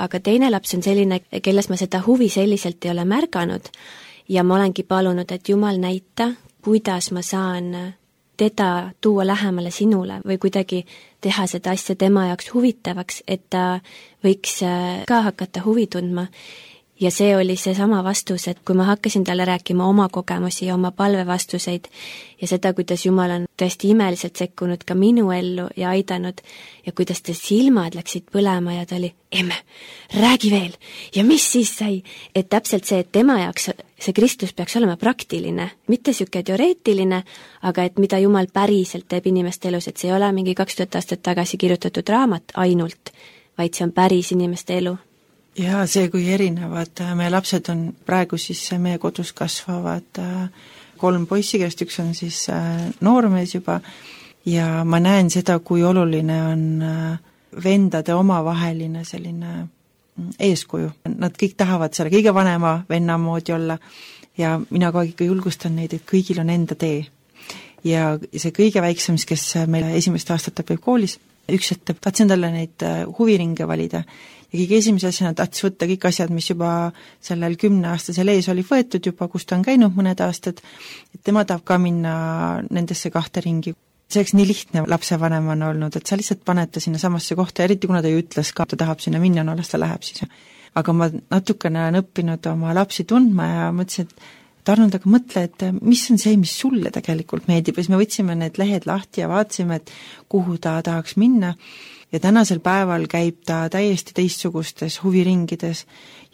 Aga teine laps on selline, kelles ma seda huvi selliselt ei ole märganud ja ma olengi palunud, et Jumal näita, kuidas ma saan teda tuua lähemale sinule või kuidagi teha seda asja tema jaoks huvitavaks, et ta võiks ka hakata huvi tundma. ja see oli see sama vastus, et kui ma hakkasin talle rääkima oma kogemusi ja oma palvevastuseid ja seda, kuidas Jumal on tõesti imeliselt sekkunud ka minu ellu ja aidanud ja kuidas ta silmad läksid põlema ja ta oli, emme, räägi veel ja mis siis sai, et täpselt see, et tema jaoks see Kristus peaks olema praktiline, mitte siuke teoreetiline, aga et mida Jumal päriselt teeb inimeste elus, et see ei ole mingi kaks tuhat aastat tagasi kirjutatud raamat ainult, vaid see on päris inimeste elu. Ja see, kui erinevad meie lapsed on praegu, siis meie kodus kasvavad kolm poissi, kellest üks on siis noormees juba ja ma näen seda, kui oluline on vendade omavaheline selline eeskuju. Nad kõik tahavad selle kõige vanema venna moodi olla ja mina kogu aeg ikka julgustan neid, et kõigil on enda tee. Ja see kõige väiksem, kes meil esimest aastat õpib koolis, üks ütleb, tahtsin talle neid huviringe valida ja kõige esimese asjana tahtis võtta kõik asjad, mis juba sellel kümneaastasel ees oli võetud juba, kus ta on käinud mõned aastad, et tema tahab ka minna nendesse kahte ringi. See oleks nii lihtne lapsevanemana olnud, et sa lihtsalt paned ta sinna samasse kohta, eriti kuna ta ju ütles ka, ta tahab sinna minna, no las ta läheb siis. Aga ma natukene olen õppinud oma lapsi tundma ja mõtlesin, et Arnold, aga mõtle, et mis on see, mis sulle tegelikult meeldib, ja siis me võtsime need lehed lahti ja vaatasime, et kuhu ta tahaks minna ja tänasel päeval käib ta täiesti teistsugustes huviringides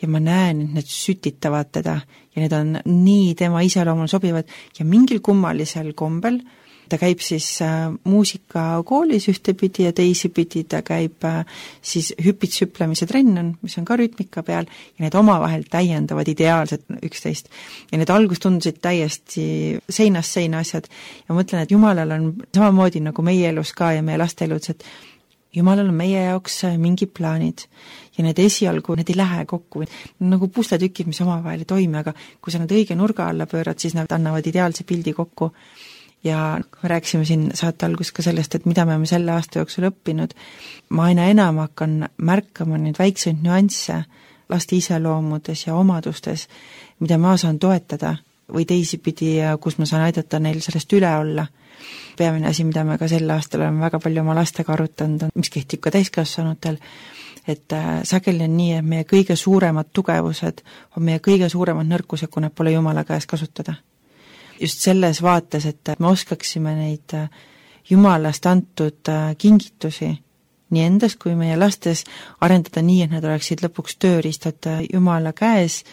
ja ma näen, et need sütitavad teda ja need on nii tema iseloomul sobivad ja mingil kummalisel kombel ta käib siis äh, muusikakoolis ühtepidi ja teisipidi ta käib äh, siis hüpitsüplemise trenn on, mis on ka rütmika peal ja need omavahel täiendavad ideaalselt üksteist. Ja need algus tundusid täiesti seinast seina asjad ja mõtlen, et Jumalal on samamoodi nagu meie elus ka ja meie laste elus, et Jumalal on meie jaoks mingid plaanid ja need esialgu, need ei lähe kokku. Nagu pusletükid, mis omavahel ei toimi, aga kui sa need õige nurga alla pöörad, siis nad annavad ideaalse pildi kokku. Ja me rääkisime siin saate algus ka sellest, et mida me oleme selle aasta jooksul õppinud. Ma aina enam hakkan märkama neid väikseid nüansse laste iseloomudes ja omadustes, mida ma saan toetada või teisipidi, kus ma saan aidata neil sellest üle olla. Peamine asi, mida me ka sel aastal oleme väga palju oma lastega arutanud, mis kehtib ka täiskasvanutel, et sageli on nii, et meie kõige suuremad tugevused on meie kõige suuremad nõrkused, kui nad pole Jumala käes kasutada. Just selles vaates, et me oskaksime neid Jumalast antud kingitusi nii endast kui meie lastes arendada nii, et nad oleksid lõpuks tööriistad Jumala käes,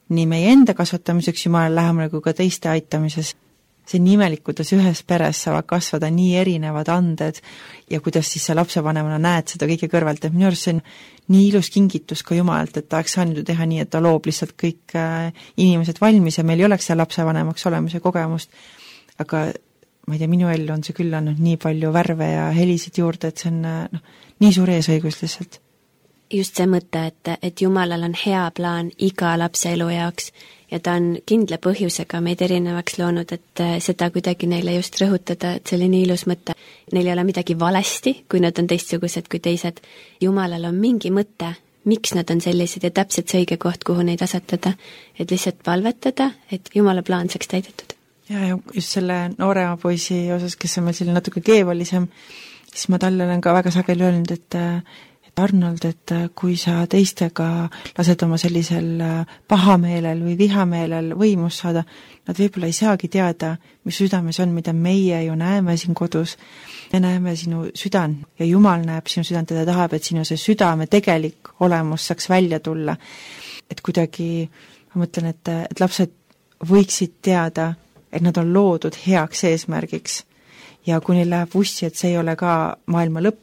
nii meie enda kasvatamiseks Jumala lähemale kui ka teiste aitamises. See on imelik, kuidas ühes peres saavad kasvada nii erinevad anded ja kuidas siis sa lapsevanemana näed seda kõige kõrvalt, et minu arust see on nii ilus kingitus ka Jumalalt, et ta oleks saanud teha nii, et ta loob lihtsalt kõik inimesed valmis ja meil ei oleks seal lapsevanemaks olemise kogemust, aga ma ei tea, minu ellu on see küll andnud nii palju värve ja helisid juurde, et see on no, nii suur eesõigus lihtsalt. Just see mõte, et, et Jumalal on hea plaan iga lapse elu jaoks ja ta on kindla põhjusega meid erinevaks loonud, et seda kuidagi neile just rõhutada, et see oli nii ilus mõte. Neil ei ole midagi valesti, kui nad on teistsugused kui teised. Jumalal on mingi mõte, miks nad on sellised ja täpselt see õige koht, kuhu neid asetada, et lihtsalt palvetada, et Jumala plaan saaks täidetud. Ja, ja just selle noorema poisi osas, kes on meil selline natuke keevalisem, siis ma talle olen ka väga sageli öelnud, et Arnold, et kui sa teistega lased oma sellisel pahameelel või vihameelel võimust saada, nad võib-olla ei saagi teada, mis südames on, mida meie ju näeme siin kodus. Me näeme sinu südan ja Jumal näeb sinu südant ja ta tahab, et sinu see südame tegelik olemus saaks välja tulla. Et kuidagi, ma mõtlen, et, et lapsed võiksid teada, et nad on loodud heaks eesmärgiks ja kui neil läheb ussi, et see ei ole ka maailma lõpp,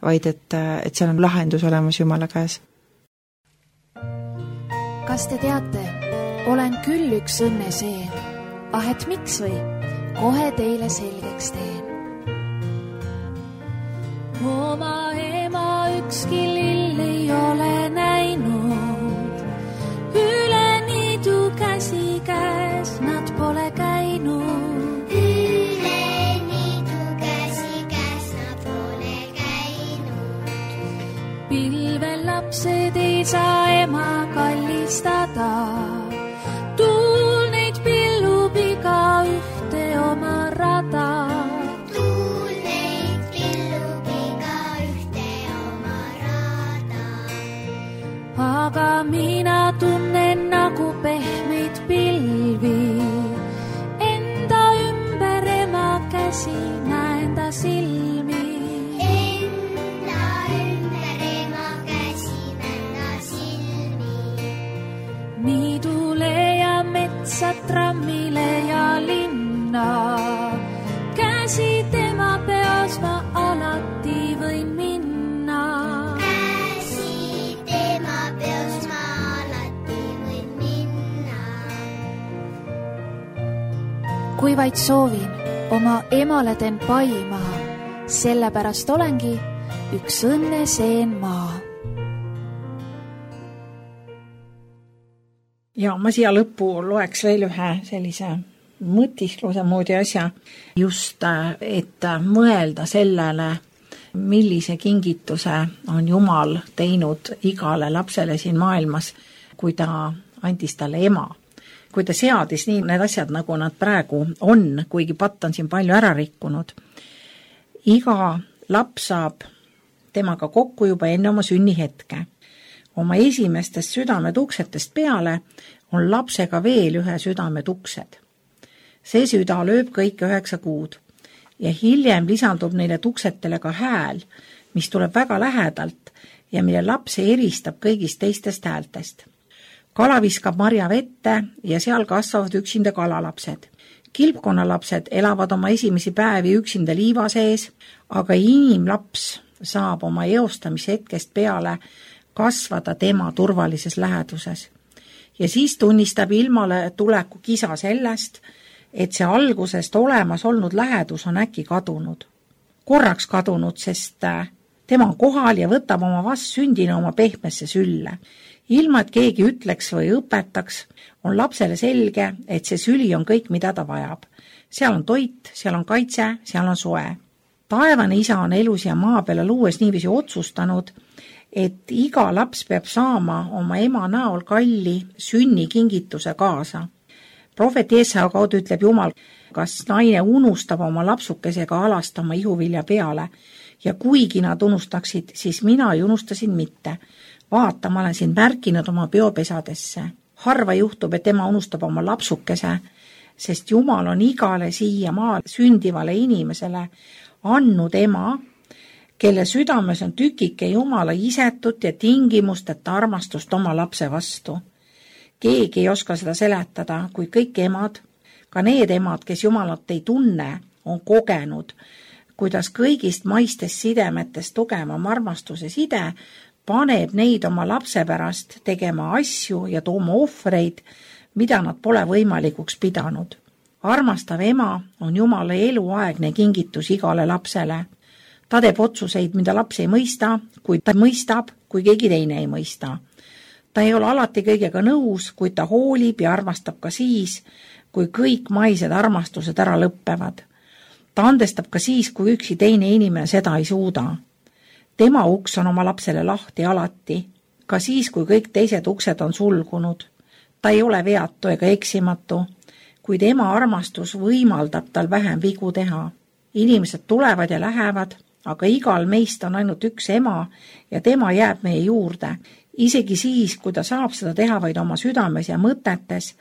vaid et, et seal on lahendus olemas Jumala käes. Kas te teate, olen küll üks õnneseen, ah et miks või, kohe teile selgeks teen. Oma ema ükski lill ei ole näinud, üle niidu käsi käes nad pole käinud. Pilvel lapsed ei saa ema kallistada, tuul neid pillub iga ühte oma rada. Tuul neid pillub iga ühte oma rada. Aga mina tunnen kui vaid soovin, oma emale teen pai maha, sellepärast olengi üks õnneseen maa. Ja ma siia lõppu loeks veel ühe sellise mõtiskluse moodi asja, just et mõelda sellele, millise kingituse on Jumal teinud igale lapsele siin maailmas, kui ta andis talle ema. Kui ta seadis nii need asjad, nagu nad praegu on, kuigi patt on siin palju ära rikkunud. Iga laps saab temaga kokku juba enne oma sünnihetke. Oma esimestest südametuksetest peale on lapsega veel ühe südametuksed. See süda lööb kõik üheksa kuud ja hiljem lisandub neile tuksetele ka hääl, mis tuleb väga lähedalt ja mille laps eristab kõigist teistest häältest. Kala viskab marja vette ja seal kasvavad üksinda kalalapsed. Kilpkonnalapsed elavad oma esimesi päevi üksinda liiva sees, aga inimlaps saab oma eostamise hetkest peale kasvada tema turvalises läheduses. Ja siis tunnistab ilmale tuleku kisa sellest, et see algusest olemas olnud lähedus on äkki kadunud. Korraks kadunud, sest tema on kohal ja võtab oma vastsündina oma pehmesse sülle. Ilma, et keegi ütleks või õpetaks, on lapsele selge, et see süli on kõik, mida ta vajab. Seal on toit, seal on kaitse, seal on soe. Taevane isa on elus ja maa peale luues niiviisi otsustanud, et iga laps peab saama oma ema näol kalli sünnikingituse kaasa. Prohvet Jeesaja kaudu ütleb Jumal, kas naine unustab oma lapsukesega alastama ihuvilja peale ja kuigi nad unustaksid, siis mina ei unustasin mitte. Vaata, ma olen sind märkinud oma peopesadesse. Harva juhtub, et tema unustab oma lapsukese, sest Jumal on igale siia maal sündivale inimesele andnud ema, kelle südames on tükike Jumala isetut ja tingimusteta armastust oma lapse vastu. Keegi ei oska seda seletada, kui kõik emad, ka need emad, kes Jumalat ei tunne, on kogenud, kuidas kõigist maistest sidemetest tugevam armastuse side paneb neid oma lapse pärast tegema asju ja tooma ohvreid, mida nad pole võimalikuks pidanud. Armastav ema on Jumala eluaegne kingitus igale lapsele. Ta teeb otsuseid, mida laps ei mõista, kuid ta mõistab, kui keegi teine ei mõista. Ta ei ole alati kõigega nõus, kuid ta hoolib ja armastab ka siis, kui kõik maised armastused ära lõppevad. Ta andestab ka siis, kui üksi teine inimene seda ei suuda. Tema uks on oma lapsele lahti alati, ka siis, kui kõik teised uksed on sulgunud. Ta ei ole veatu ega eksimatu, kuid ema armastus võimaldab tal vähem vigu teha. Inimesed tulevad ja lähevad, aga igal meist on ainult üks ema ja tema jääb meie juurde, isegi siis, kui ta saab seda teha vaid oma südames ja mõtetes,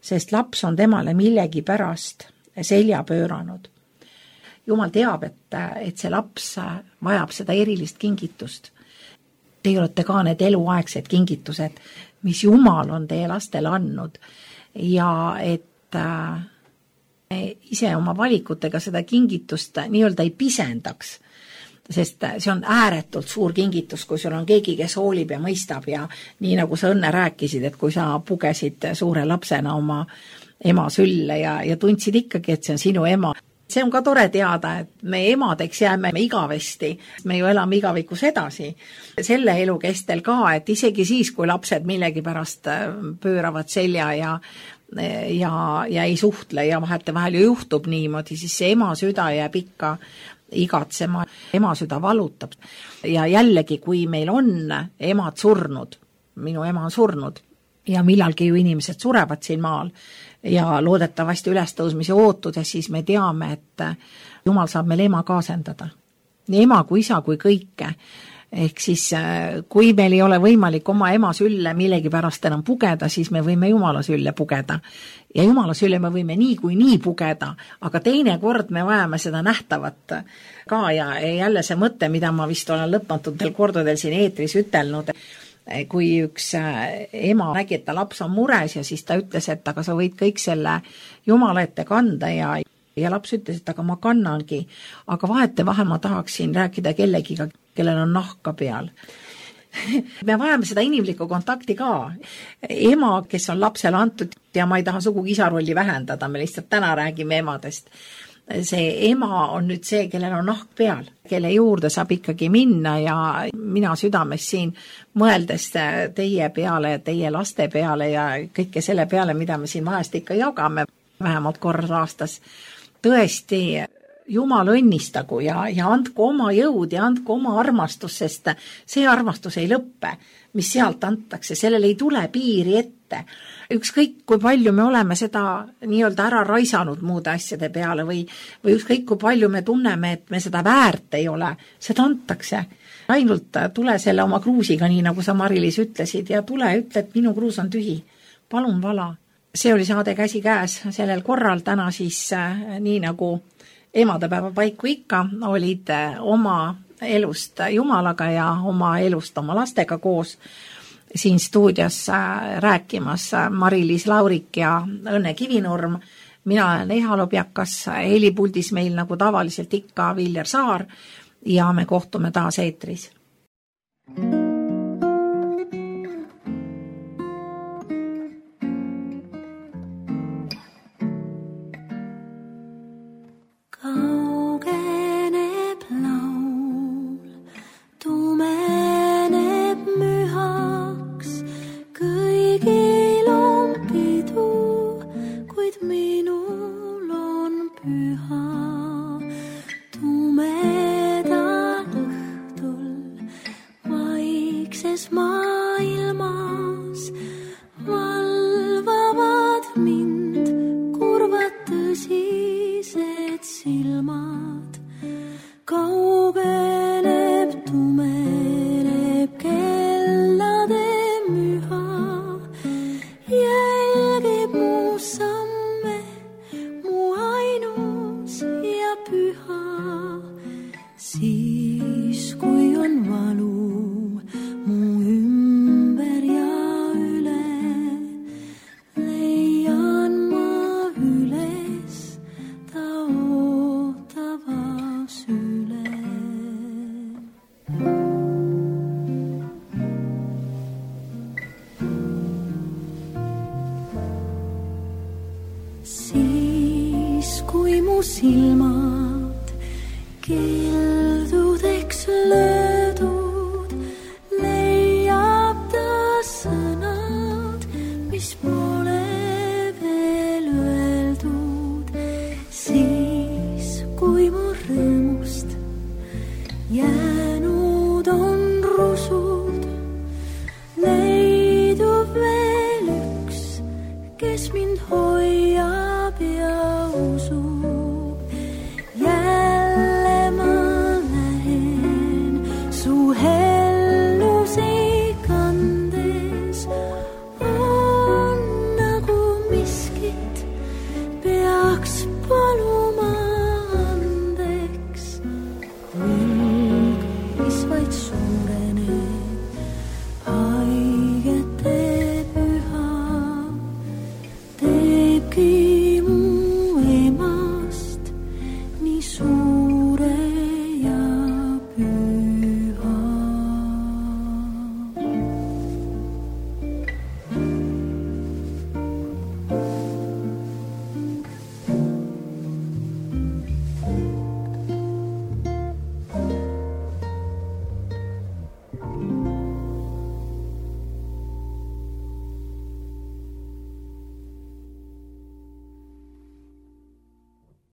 sest laps on temale millegi pärast selja pööranud. Jumal teab, et, et see laps vajab seda erilist kingitust. Te olete ka need eluaegsed kingitused, mis Jumal on teie lastele andnud ja et äh, ise oma valikutega seda kingitust nii-öelda ei pisendaks, sest see on ääretult suur kingitus, kui sul on keegi, kes hoolib ja mõistab ja nii nagu sa Õnne rääkisid, et kui sa pugesid suure lapsena oma ema sülle ja, ja tundsid ikkagi, et see on sinu ema. See on ka tore teada, et me emadeks jääme igavesti, me ju elame igavikus edasi. Selle elu kestel ka, et isegi siis, kui lapsed millegi pärast pööravad selja ja, ja, ja ei suhtle ja vahete vahel ju juhtub niimoodi, siis see ema süda jääb ikka igatsema, ema süda valutab. Ja jällegi, kui meil on emad surnud, minu ema on surnud ja millalgi ju inimesed surevad siin maal, ja loodetavasti ülestõusmise ootudes, siis me teame, et Jumal saab meil ema kaasendada. Nii ema kui isa kui kõike. Ehk siis, kui meil ei ole võimalik oma ema sülle millegi pärast enam pugeda, siis me võime Jumala sülle pugeda. Ja Jumala sülle me võime nii kui nii pugeda, aga teine kord me vajame seda nähtavat ka ja jälle see mõte, mida ma vist olen lõpmatutel kordadel siin eetris ütelnud, kui üks ema nägi, et ta laps on mures ja siis ta ütles, et aga sa võid kõik selle Jumala ette kanda ja, ja laps ütles, et aga ma kannangi, aga vahete vahel ma tahaksin rääkida kellegiga, kellel on nahka peal. me vajame seda inimlikku kontakti ka. Ema, kes on lapsele antud ja ma ei taha sugugi isa rolli vähendada, me lihtsalt täna räägime emadest. See ema on nüüd see, kellel on nahk peal, kelle juurde saab ikkagi minna ja mina südames siin mõeldes teie peale, teie laste peale ja kõike selle peale, mida me siin vahest ikka jagame, vähemalt korra aastas. Tõesti, Jumal õnnistagu ja, ja andku oma jõud ja andku oma armastus, sest see armastus ei lõppe, mis sealt antakse, sellel ei tule piiri ette. Ükskõik, kui palju me oleme seda nii-öelda ära raisanud muude asjade peale või, või ükskõik, kui palju me tunneme, et me seda väärt ei ole, seda antakse. Ainult tule selle oma kruusiga, nii nagu sa Mari-Liis ütlesid, ja tule ütle, et minu kruus on tühi. Palun vala. See oli saade Käsi käes sellel korral, täna siis nii nagu emadepäeva paiku ikka olid oma elust Jumalaga ja oma elust oma lastega koos siin stuudios rääkimas Mari-Liis Laurik ja Õnne Kivinurm. Mina olen Eha Lobjakas, helipuldis meil nagu tavaliselt ikka Viljar Saar ja me kohtume taas eetris. silmad keeldudeks löödud, leiab ta sõnad, mis pole veel öeldud. Siis, kui mu rõõmust jääb